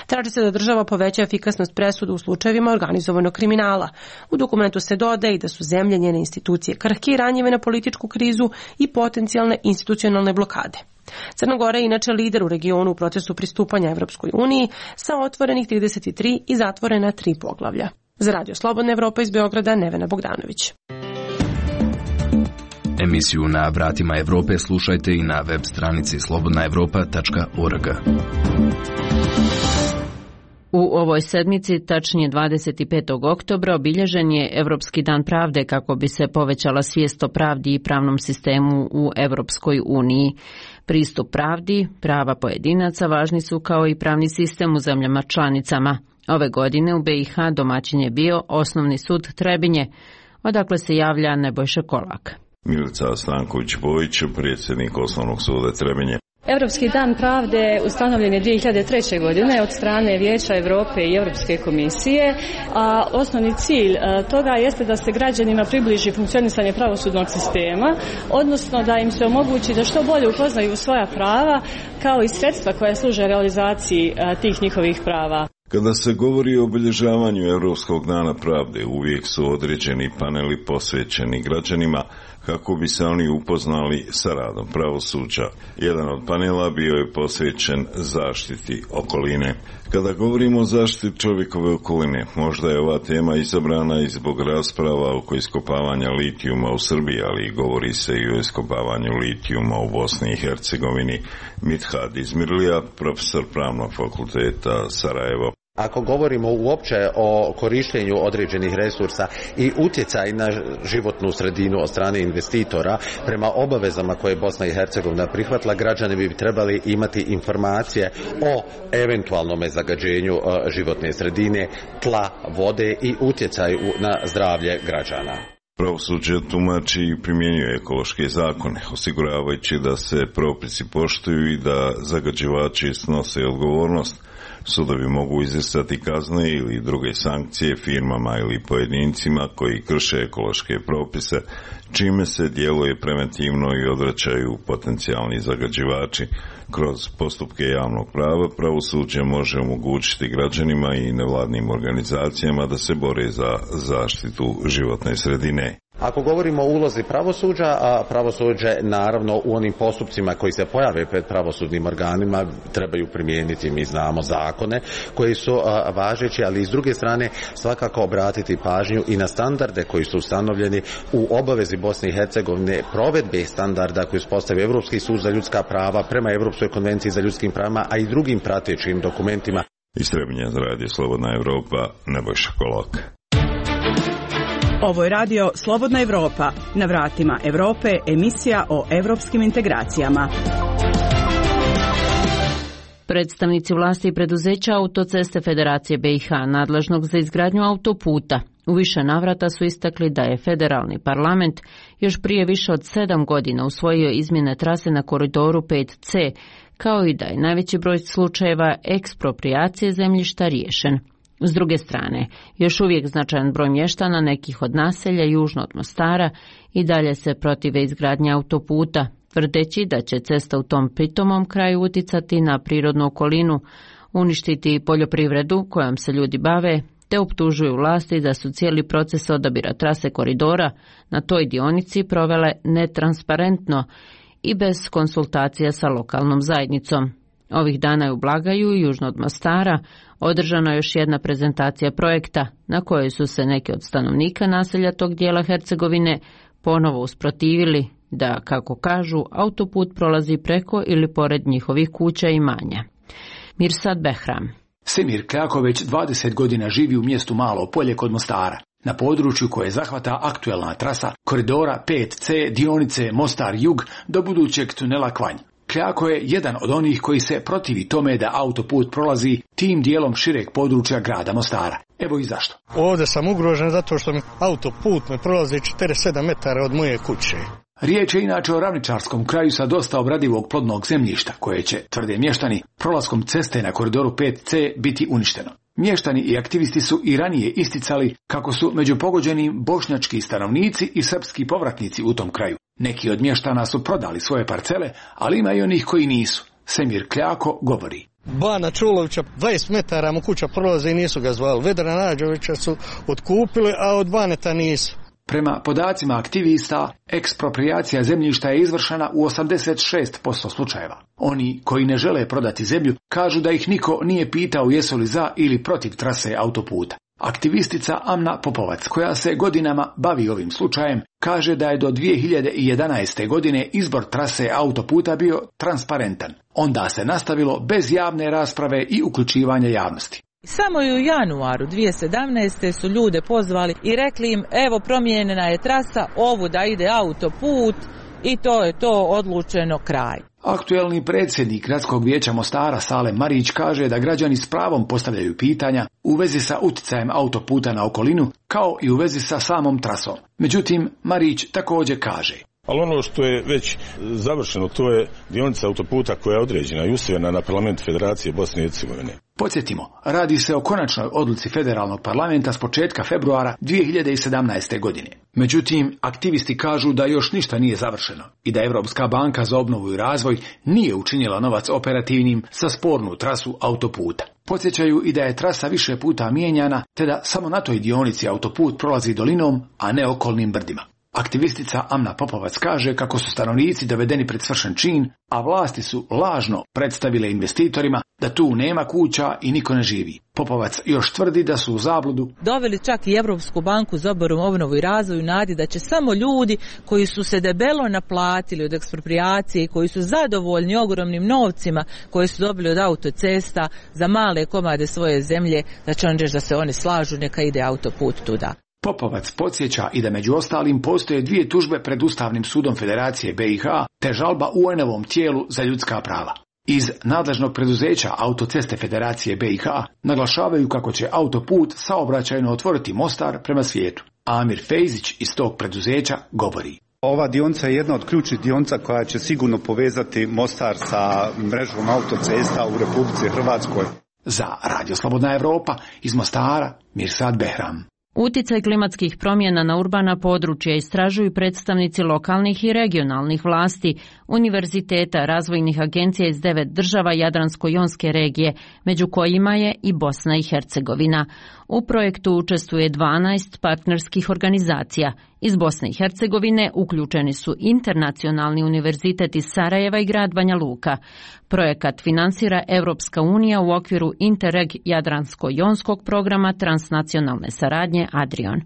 Traži se da država poveća efikasnost presuda u slučajevima organizovanog kriminala. U dokumentu se dodaje i da su zemlje, njene institucije krhke i ranjive na političku krizu i potencijalne institucionalne blokade. Crna Gora je inače lider u regionu u procesu pristupanja Evropskoj uniji sa otvorenih trideset tri i zatvorena tri poglavlja. Za Radio Slobodna Evropa iz Beograda, Nevena Bogdanović. Emisiju Na vratima Evrope slušajte i na web stranici slobodna evropa tačka org. U ovoj sedmici, tačnije dvadeset petog oktobra, obilježen je Evropski dan pravde kako bi se povećala svijest o pravdi i pravnom sistemu u Evropskoj uniji. Pristup pravdi, prava pojedinaca važni su kao i pravni sistem u zemljama članicama. Ove godine u B i H domaćin je bio Osnovni sud Trebinje, odakle se javlja Nebojša Kolak. Milica Stanković-Bojić, predsjednik Osnovnog suda Trebinje. Europski dan pravde ustanovljen je dvije hiljade treće. godine od strane Vijeća Europe i Europske komisije, a osnovni cilj toga jeste da se građanima približi funkcionisanje pravosudnog sistema, odnosno da im se omogući da što bolje upoznaju svoja prava kao i sredstva koja služe realizaciji tih njihovih prava. Kada se govori o obilježavanju Europskog dana pravde, uvijek su određeni paneli posvećeni građanima kako bi se oni upoznali sa radom pravosuđa. Jedan od panela bio je posvećen zaštiti okoline. Kada govorimo o zaštiti čovjekove okoline, možda je ova tema izabrana i zbog rasprava oko iskopavanja litijuma u Srbiji, ali govori se i o iskopavanju litijuma u Bosni i Hercegovini. Mithad Izmirlija, profesor Pravnog fakulteta Sarajevo. Ako govorimo uopće o korištenju određenih resursa i utjecaj na životnu sredinu od strane investitora, prema obavezama koje je Bosna i Hercegovina prihvatila, građani bi trebali imati informacije o eventualnom zagađenju životne sredine, tla, vode i utjecaju na zdravlje građana. Pravosuđe tumači i primjenjuje ekološke zakone, osiguravajući da se propisi poštuju i da zagađivači snose odgovornost. Sudovi mogu izricati kazne ili druge sankcije firmama ili pojedincima koji krše ekološke propise, čime se djeluje preventivno i odvraćaju potencijalni zagađivači. Kroz postupke javnog prava pravosuđe može omogućiti građanima i nevladnim organizacijama da se bore za zaštitu životne sredine. Ako govorimo o ulozi pravosuđa, a pravosuđe naravno u onim postupcima koji se pojave pred pravosudnim organima trebaju primijeniti, mi znamo, zakone koji su a, važeći, ali s druge strane svakako obratiti pažnju i na standarde koji su ustanovljeni u obavezi Bosne i Hercegovine provedbe standarda koji uspostavio Europski sud za ljudska prava prema Europskoj konvenciji za ljudskim pravima, a i drugim pratećim dokumentima. Iz Trebinja za Radio Slobodna Evropa, Nebojša Kolak. Ovo je radio Slobodna Evropa. Na vratima Evrope, emisija o evropskim integracijama. Predstavnici vlasti i preduzeća Autoceste Federacije B i H nadležnog za izgradnju autoputa u više navrata su istakli da je federalni parlament još prije više od sedam godina usvojio izmjene trase na koridoru pet C, kao i da je najveći broj slučajeva eksproprijacije zemljišta riješen. S druge strane, još uvijek značajan broj mještana nekih od naselja južno od Mostara i dalje se protive izgradnje autoputa, tvrdeći da će cesta u tom pitomom kraju uticati na prirodnu okolinu, uništiti poljoprivredu kojom se ljudi bave, te optužuju vlasti da su cijeli proces odabira trase koridora na toj dionici provele netransparentno i bez konsultacija sa lokalnom zajednicom. Ovih dana je u Blagaju, južno od Mostara, održana još jedna prezentacija projekta na kojoj su se neki od stanovnika naselja tog dijela Hercegovine ponovo usprotivili da, kako kažu, autoput prolazi preko ili pored njihovih kuća i imanja. Mirsad Behram. Semir Kljako već dvadeset godina živi u mjestu Malo Polje kod Mostara, na području koje zahvata aktuelna trasa koridora pet C dionice Mostar-Jug do budućeg tunela Kvanj. Kljako je jedan od onih koji se protivi tome da autoput prolazi tim dijelom šireg područja grada Mostara. Evo i zašto. Ovdje sam ugrožen zato što mi autoput me prolazi četrdeset sedam metara od moje kuće. Riječ je inače o ravničarskom kraju sa dosta obradivog plodnog zemljišta, koje će, tvrde mještani, prolaskom ceste na koridoru pet C biti uništeno. Mještani i aktivisti su i ranije isticali kako su među pogođenim bošnjački stanovnici i srpski povratnici u tom kraju. Neki od mještana su prodali svoje parcele, ali ima i onih koji nisu. Semir Kljako govori. Bana Čulovića dvadeset metara mu kuća prolaze i nisu ga zvali. Vedra Nađovića su otkupili, a od Baneta nisu. Prema podacima aktivista, eksproprijacija zemljišta je izvršena u osamdeset šest posto slučajeva. Oni koji ne žele prodati zemlju kažu da ih niko nije pitao jesu li za ili protiv trase autoputa. Aktivistica Amna Popovac, koja se godinama bavi ovim slučajem, kaže da je do dvije hiljade jedanaeste. godine izbor trase autoputa bio transparentan. Onda se nastavilo bez javne rasprave i uključivanja javnosti. Samo i u januaru dvije hiljade sedamnaeste. su ljude pozvali i rekli im evo promijenjena je trasa, ovu da ide autoput i to je to, odlučeno, kraj. Aktuelni predsjednik Gradskog vijeća Mostara Salem Marić kaže da građani s pravom postavljaju pitanja u vezi sa utjecajem autoputa na okolinu kao i u vezi sa samom trasom. Međutim, Marić također kaže. Ali ono što je već završeno, to je dionica autoputa koja je određena i usvojena na parlament Federacije Bosne i Hercegovine. Podsjetimo, radi se o konačnoj odluci federalnog parlamenta s početka februara dvije hiljade sedamnaeste. godine. Međutim, aktivisti kažu da još ništa nije završeno i da Europska banka za obnovu i razvoj nije učinila novac operativnim za spornu trasu autoputa. Podsjećaju i da je trasa više puta mijenjana, te da samo na toj dionici autoput prolazi dolinom, a ne okolnim brdima. Aktivistica Amna Popovac kaže kako su stanovnici dovedeni pred svršen čin, a vlasti su lažno predstavile investitorima da tu nema kuća i niko ne živi. Popovac još tvrdi da su u zabludu doveli čak i Europsku banku za obnovu i razvoj nadi da će samo ljudi koji su se debelo naplatili od eksproprijacije i koji su zadovoljni ogromnim novcima koje su dobili od autocesta za male komade svoje zemlje, da će on reći da se oni slažu, neka ide autoput tuda. Popovac podsjeća i da među ostalim postoje dvije tužbe pred Ustavnim sudom Federacije B i H te žalba U N-ovom tijelu za ljudska prava. Iz nadležnog preduzeća Autoceste Federacije B i H naglašavaju kako će autoput saobraćajno otvoriti Mostar prema svijetu. Amir Fejzić iz tog preduzeća govori. Ova dionica je jedna od ključnih dionica koja će sigurno povezati Mostar sa mrežom autocesta u Republici Hrvatskoj. Za Radio Slobodna Evropa iz Mostara, Mirsad Behram. Uticaj klimatskih promjena na urbana područja istražuju predstavnici lokalnih i regionalnih vlasti, univerziteta, razvojnih agencija iz devet država Jadransko-jonske regije, među kojima je i Bosna i Hercegovina. U projektu učestvuje dvanaest partnerskih organizacija. Iz Bosne i Hercegovine uključeni su Internacionalni univerzitet iz Sarajeva i grad Banja Luka. Projekat finansira Europska unija u okviru Interreg Jadransko-jonskog programa transnacionalne saradnje Adrion.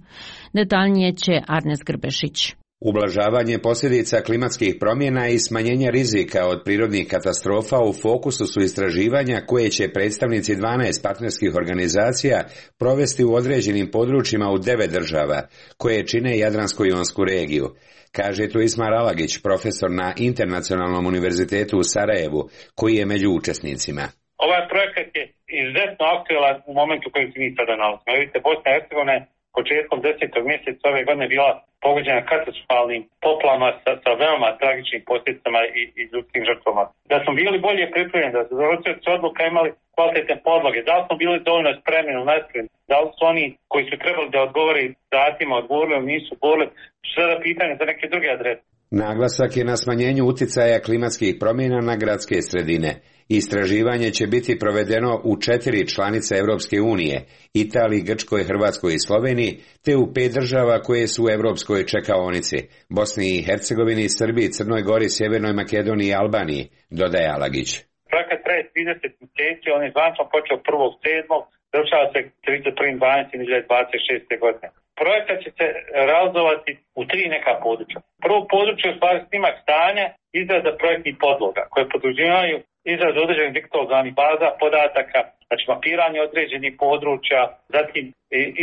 Detaljnije će Arnes Grbešić. Ublažavanje posljedica klimatskih promjena i smanjenje rizika od prirodnih katastrofa u fokusu su istraživanja koje će predstavnici dvanaest partnerskih organizacija provesti u određenim područjima u devet država, koje čine Jadransko-jonsku regiju, kaže tu Ismar Alagić, profesor na Internacionalnom univerzitetu u Sarajevu, koji je među učesnicima. Ovaj projekat je izuzetno aktualan u momentu u kojem se mi sada nalazimo. Vidite, Bosna i Hercegovina početkom desetog mjeseca ove godine bila pogođena katastrofalnim poplavama sa, sa veoma tragičnim posljedicama i, i ljudskim žrtvama. Da smo bili bolje pripremljeni, da su donosioci odluka imali kvalitetne podloge, da li smo bili dovoljno spremni ili nespremni, da li su oni koji su trebali da odgovore datima odgovorili ili nisu odgovorili, su sada pitanje za neke druge adrese. Naglasak je na smanjenju uticaja klimatskih promjena na gradske sredine. Istraživanje će biti provedeno u četiri članice Europske unije, Italiji, Grčkoj, Hrvatskoj i Sloveniji, te u pet država koje su u europskoj čekaonici, Bosni i Hercegovini, Srbiji, Crnoj Gori, Sjevernoj Makedoniji i Albaniji, dodaje Alagić. Projekat traje trideset mjeseci, on je zvančno počeo prvog sedmog završava se trideset prvog dvanaestog dvije hiljade dvadeset šeste. godine. Projekat će se realizovati u tri neka područja. Prvo područje je u stvari snimak stanja, izrada projektnih podloga koje podrazumijevaju izradu određenih digitalnih baza podataka, znači mapiranje određenih područja, zatim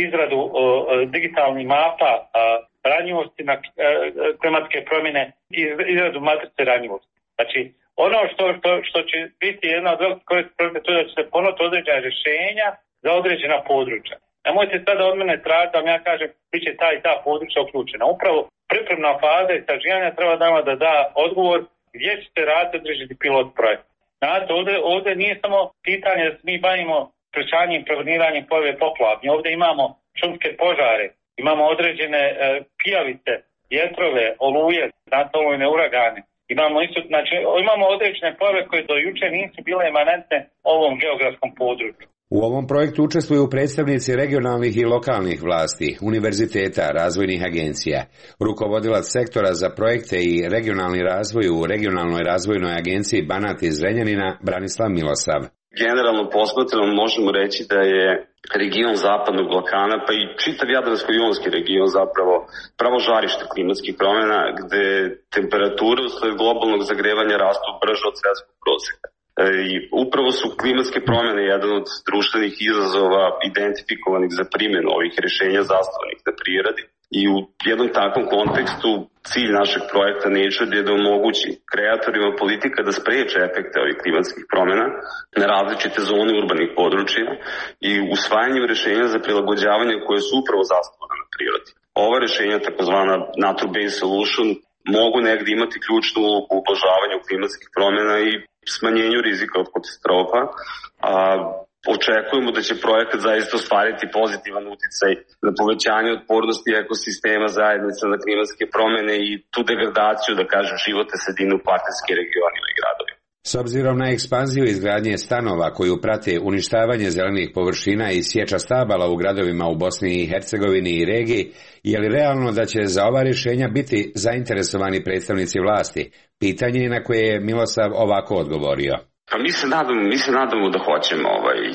izradu o, digitalnih mapa a, ranjivosti na a, klimatske promjene i izradu matrice ranjivosti. Znači, ono što, što, što će biti jedna od velikih korisnih projekta, to je da će se ponuti određena rješenja za određena područja. Nemojte sada od mene tražiti da vam ja kažem bit će ta i ta područja uključena. Upravo pripremna faza istraživanja treba da da da odgovor gdje ćete raditi određeni pilot projekt. Znate, ovdje, ovdje nije samo pitanje da se mi bavimo sprečavanjem i preveniranjem pojave poplava. Mi ovdje imamo šumske požare, imamo određene e, pijavice, vjetrove, oluje, znatolujne uragane. Imamo isto, znači, imamo određene pojave koje do juče nisu bile emanentne ovom geografskom području. U ovom projektu učestvuju predstavnici regionalnih i lokalnih vlasti, univerziteta, razvojnih agencija. Rukovodilac sektora za projekte i regionalni razvoj u regionalnoj razvojnoj agenciji Banat iz Zrenjanina, Branislav Milosav. Generalno posmatrano možemo reći da je region Zapadnog Balkana, pa i čitav Jadransko-jonski region zapravo pravo žarište klimatskih promjena, gde temperature usled globalnog zagrevanja rastu brže od svjetskog prosjeka. I upravo su klimatske promjene jedan od društvenih izazova identifikovanih za primjenu ovih rješenja zasnovanih na prirodi. I u jednom takvom kontekstu cilj našeg projekta Nature je da omogući kreatorima politika da spriječe efekte ovih klimatskih promjena na različite zone urbanih područja i usvajanjem rješenja za prilagođavanje koje su upravo zasnovane na prirodi. Ova rješenja, takozvana nature-based solution, mogu negdje imati ključnu ulogu u ublažavanju klimatskih promjena i smanjenju rizika od katastrofa, a očekujemo da će projekat zaista ostvariti pozitivan uticaj na povećanje otpornosti ekosistema zajednica na klimatske promjene i tu degradaciju, da kažem, životne sredine u partnerskim regionima i gradovima. S obzirom na ekspanziju izgradnje stanova koju prate uništavanje zelenih površina i sječa stabala u gradovima u Bosni i Hercegovini i regiji, je li realno da će za ova rješenja biti zainteresovani predstavnici vlasti? Pitanje je na koje je Milosav ovako odgovorio. Pa mi se nadamo, mi se nadamo da hoćemo. Ovaj. E,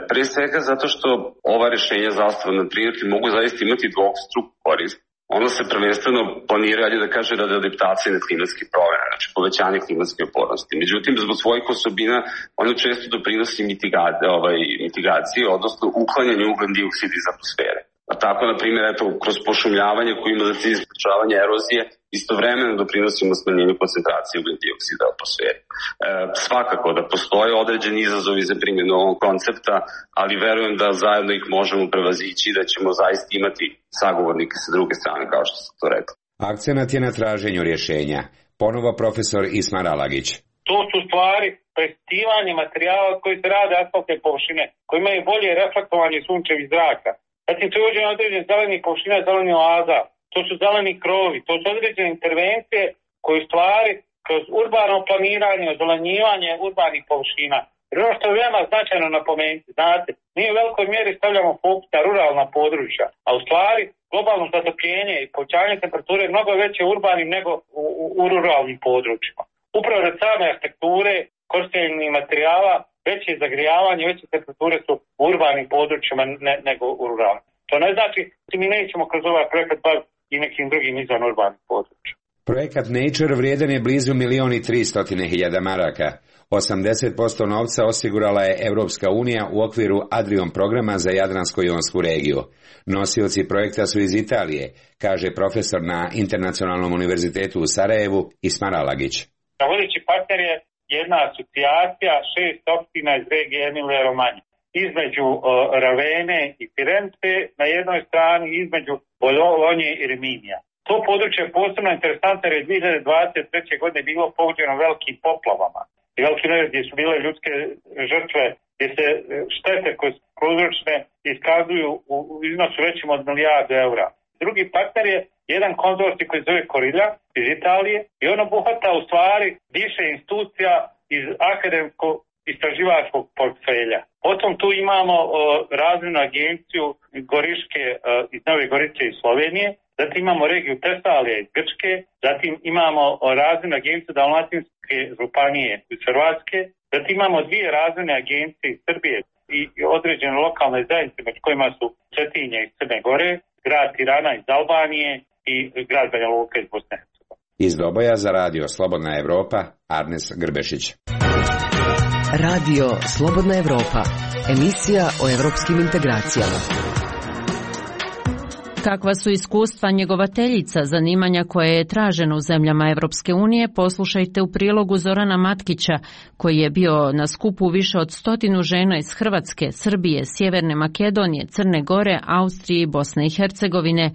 pre svega zato što ova rješenja zasnovana na prirodi mogu zaista imati dvostruku korist. Ono se prvenstveno planira, ali da kaže, radi adaptacije na klimatske promjene, znači povećanje klimatske otpornosti. Međutim, zbog svojih osobina, ono često doprinosi mitigacije, ovaj, mitigacije, odnosno uklanjanje ugljen dioksida iz atmosfere. A tako, na primjer, eto, kroz pošumljavanje koje ima za cilj sprečavanje erozije, istovremeno doprinosimo smanjenju koncentracije ugljen dioksida u atmosferi. E, svakako da postoje određeni izazovi za primjenu ovog koncepta, ali verujem da zajedno ih možemo prevazići i da ćemo zaista imati sagovornike sa druge strane, kao što sam to rekao. Akcenat je na traženju rješenja. Ponovo profesor Ismar Alagić. To su stvari prestivanje materijala koji se rade asfaltne površine, koji imaju bolje reflektovanje sunčevih zraka. Zatim se uđe na određene zeleni površine, zeleni oaza, to su zeleni krovi, to su određene intervencije koje stvari kroz urbano planiranje, ozelenjivanje urbanih površina. Jer ono što je veoma značajno napomenuti, znate, mi u velikoj mjeri stavljamo fokus na ruralna područja, a u stvari globalno zatopljenje i povećanje temperature je mnogo veće u urbanim nego u, u, u ruralnim područjima. Upravo od same arhitekture, korištenja materijala, veće zagrijavanje, veće temperature su u urbanim područjima ne, nego u ruralnim. To ne znači da mi nećemo kroz ovaj projekat baviti i nekim drugim izvan urbanih područja. Projekat Nature vrijedan je blizu milion i tristotine hiljada maraka. osamdeset posto novca osigurala je Europska unija u okviru Adrion programa za Jadransko-jonsku regiju. Nosioci projekta su iz Italije, kaže profesor na Internacionalnom univerzitetu u Sarajevu Ismar Alagić. Vodeći partner je jedna asocijacija šest opština iz regije Emilije Romanje. Između uh, Ravene i Firence na jednoj strani, između Bolonje i Riminija. To područje je posebno interesantno jer je dvije hiljade dvadeset treće. godine bilo pogođeno velikim poplavama. I veliki nered gdje su bile ljudske žrtve, gdje se štete koje su prouzročene iskazuju u iznosu većim od milijardu eura. Drugi partner je jedan konzorcij koji se zove Korilja iz Italije i on obuhvata u stvari više institucija iz akademskog istraživačkog portfelja. Potom tu imamo o, razvojnu agenciju Goriške o, iz Nove Gorice iz Slovenije, zatim imamo regiju Tesalija iz Grčke, zatim imamo o, razvojnu agenciju Dalmatinske županije iz Hrvatske, zatim imamo dvije razvojne agencije iz Srbije i određene lokalne zajednice među kojima su Cetinje iz Crne Gore, grad Tirana iz Albanije i grad Banja Luka iz Bosne i Hercegovine. Iz Doboja za radio Slobodna Evropa, Arnes Grbešić. Radio Slobodna Evropa, emisija o evropskim integracijama. Kakva su iskustva njegovateljica zanimanja koje je traženo u zemljama Evropske unije, poslušajte u prilogu Zorana Matkića, koji je bio na skupu više od stotinu žena iz Hrvatske, Srbije, Sjeverne Makedonije, Crne Gore, Austrije i Bosne i Hercegovine,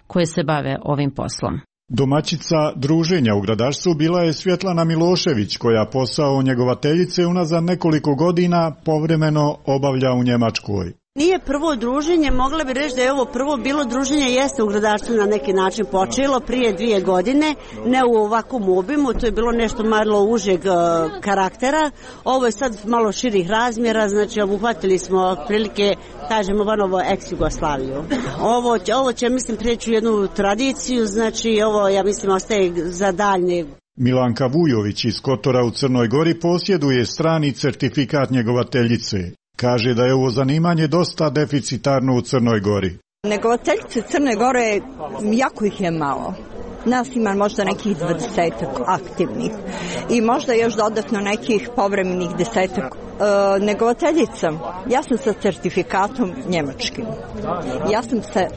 koje se bave ovim poslom. Domaćica druženja u gradarstvu bila je Svjetlana Milošević, koja posao njegovateljice unazad nekoliko godina povremeno obavlja u Njemačkoj. Nije prvo druženje, mogla bi reći da je ovo prvo bilo druženje, jeste u gradarstvu na neki način počelo prije dvije godine, ne u ovakvom obimu, to je bilo nešto malo užeg uh, karaktera, ovo je sad malo širih razmjera, znači obuhvatili smo prilike, kažemo, vanovo ex-Jugoslaviju. Ovo, ovo će, mislim, prijeći u jednu tradiciju, znači ovo, ja mislim, ostaje za daljnje. Milanka Vujović iz Kotora u Crnoj Gori posjeduje strani certifikat njegovateljice. Kaže da je ovo zanimanje dosta deficitarno u Crnoj Gori. Njegovateljice Crne Gore, jako ih je malo. Nas ima možda nekih dvadesetak aktivnih i možda još dodatno nekih povremenih desetak. E, njegovateljica, ja sam sa certifikatom njemačkim. Ja sam sa, e,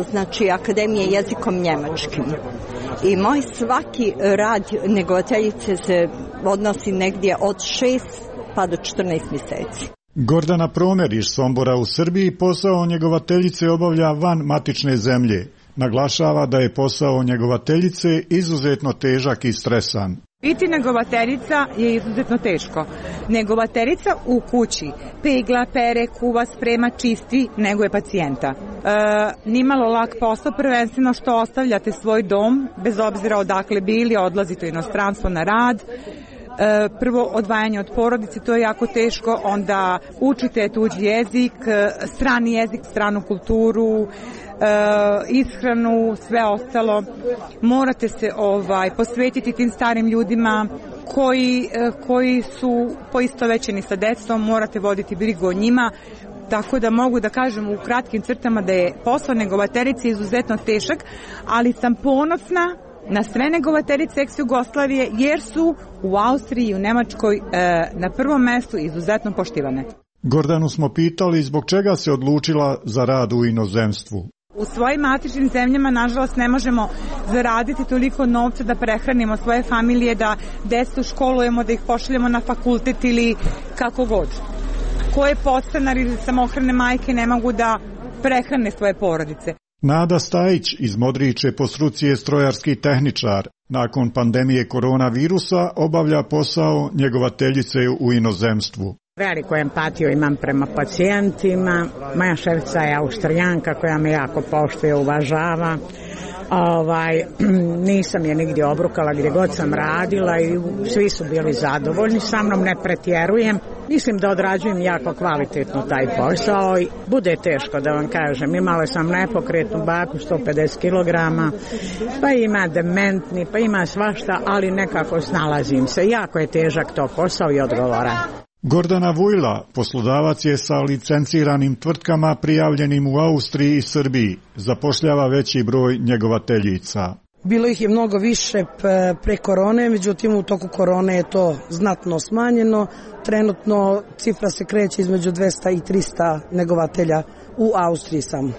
znači, akademije jezikom njemačkim. I moj svaki rad njegovateljice se odnosi negdje od šest pa do četrnaest mjeseci. Gordana Promer iz Sombora u Srbiji posao njegovateljice obavlja van matične zemlje. Naglašava da je posao njegovateljice izuzetno težak i stresan. Biti njegovateljica je izuzetno teško. Njegovateljica u kući pegla, pere, kuva, sprema, čisti, neguje pacijenta. E, nimalo lak posao, prvenstveno što ostavljate svoj dom, bez obzira odakle bili, odlazite u inostranstvo na rad. Prvo odvajanje od porodice, to je jako teško, onda učite tuđi jezik, strani jezik, stranu kulturu, ishranu, sve ostalo. Morate se ovaj posvetiti tim starim ljudima koji, koji su poistovećeni sa decom, morate voditi brigu o njima. Tako da mogu da kažem u kratkim crtama da je posao njegovateljice izuzetno težak, ali sam ponosna na sve njegovateljice ex-Jugoslavije jer su u Austriji i u Nemačkoj e, na prvom mjestu izuzetno poštivane. Gordanu smo pitali zbog čega se odlučila za rad u inozemstvu. U svojim matičnim zemljama, nažalost, ne možemo zaraditi toliko novca da prehranimo svoje familije, da decu školujemo, da ih pošaljemo na fakultet ili kako god. Koje podstanar ili samohrane majke ne mogu da prehrane svoje porodice. Nada Stajić iz Modriče po struci je strojarski tehničar. Nakon pandemije koronavirusa obavlja posao njegovateljice u inozemstvu. Veliku empatiju imam prema pacijentima. Moja šefica je Austrijanka koja me jako poštuje, uvažava. Ovaj, nisam je nigdje obrukala gdje god sam radila i svi su bili zadovoljni sa mnom, ne pretjerujem. Mislim da odrađujem jako kvalitetno taj posao i bude teško da vam kažem. Imala sam nepokretnu baku sto pedeset kilograma, pa ima dementni, pa ima svašta, ali nekako snalazim se. Jako je težak to posao i odgovoran. Gordana Vujla, poslodavac je sa licenciranim tvrtkama prijavljenim u Austriji i Srbiji, zapošljava veći broj njegovateljica. Bilo ih je mnogo više pre korone, međutim u toku korone je to znatno smanjeno. Trenutno cifra se kreće između dvesta i trista njegovatelja u Austriji samo.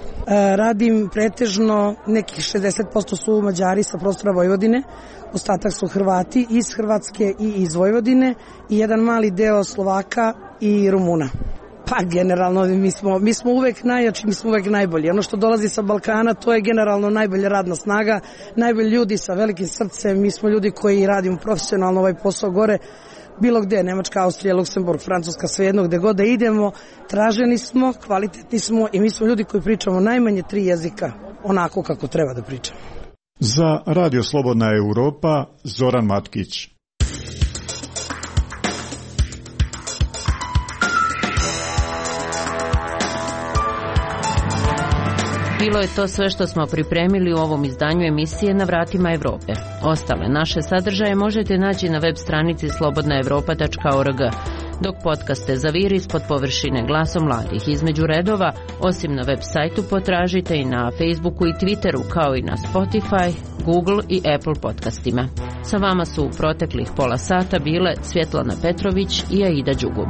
Radim pretežno, nekih šezdeset posto su Mađari sa prostora Vojvodine, ostatak su Hrvati iz Hrvatske i iz Vojvodine i jedan mali deo Slovaka i Rumuna. Pa generalno mi smo, mi smo uvek najjači, mi smo uvek najbolji. Ono što dolazi sa Balkana, to je generalno najbolja radna snaga, najbolji ljudi sa velikim srcem, mi smo ljudi koji radimo profesionalno ovaj posao gore, bilo gde, Nemačka, Austrija, Luksemburg, Francuska, svejedno, gde god da idemo, traženi smo, kvalitetni smo i mi smo ljudi koji pričamo najmanje tri jezika, onako kako treba da pričamo. Za Radio Slobodna Europa, Zoran Matkić. Bilo je to sve što smo pripremili u ovom izdanju emisije Na vratima Evrope. Ostale naše sadržaje možete naći na web stranici slobodna evropa tačka org. Dok podcaste Zaviri ispod površine glasom mladih između redova, osim na web sajtu potražite i na Facebooku i Twitteru, kao i na Spotify, Google i Apple podcastima. Sa vama su u proteklih pola sata bile Svjetlana Petrović i Aida Đugub.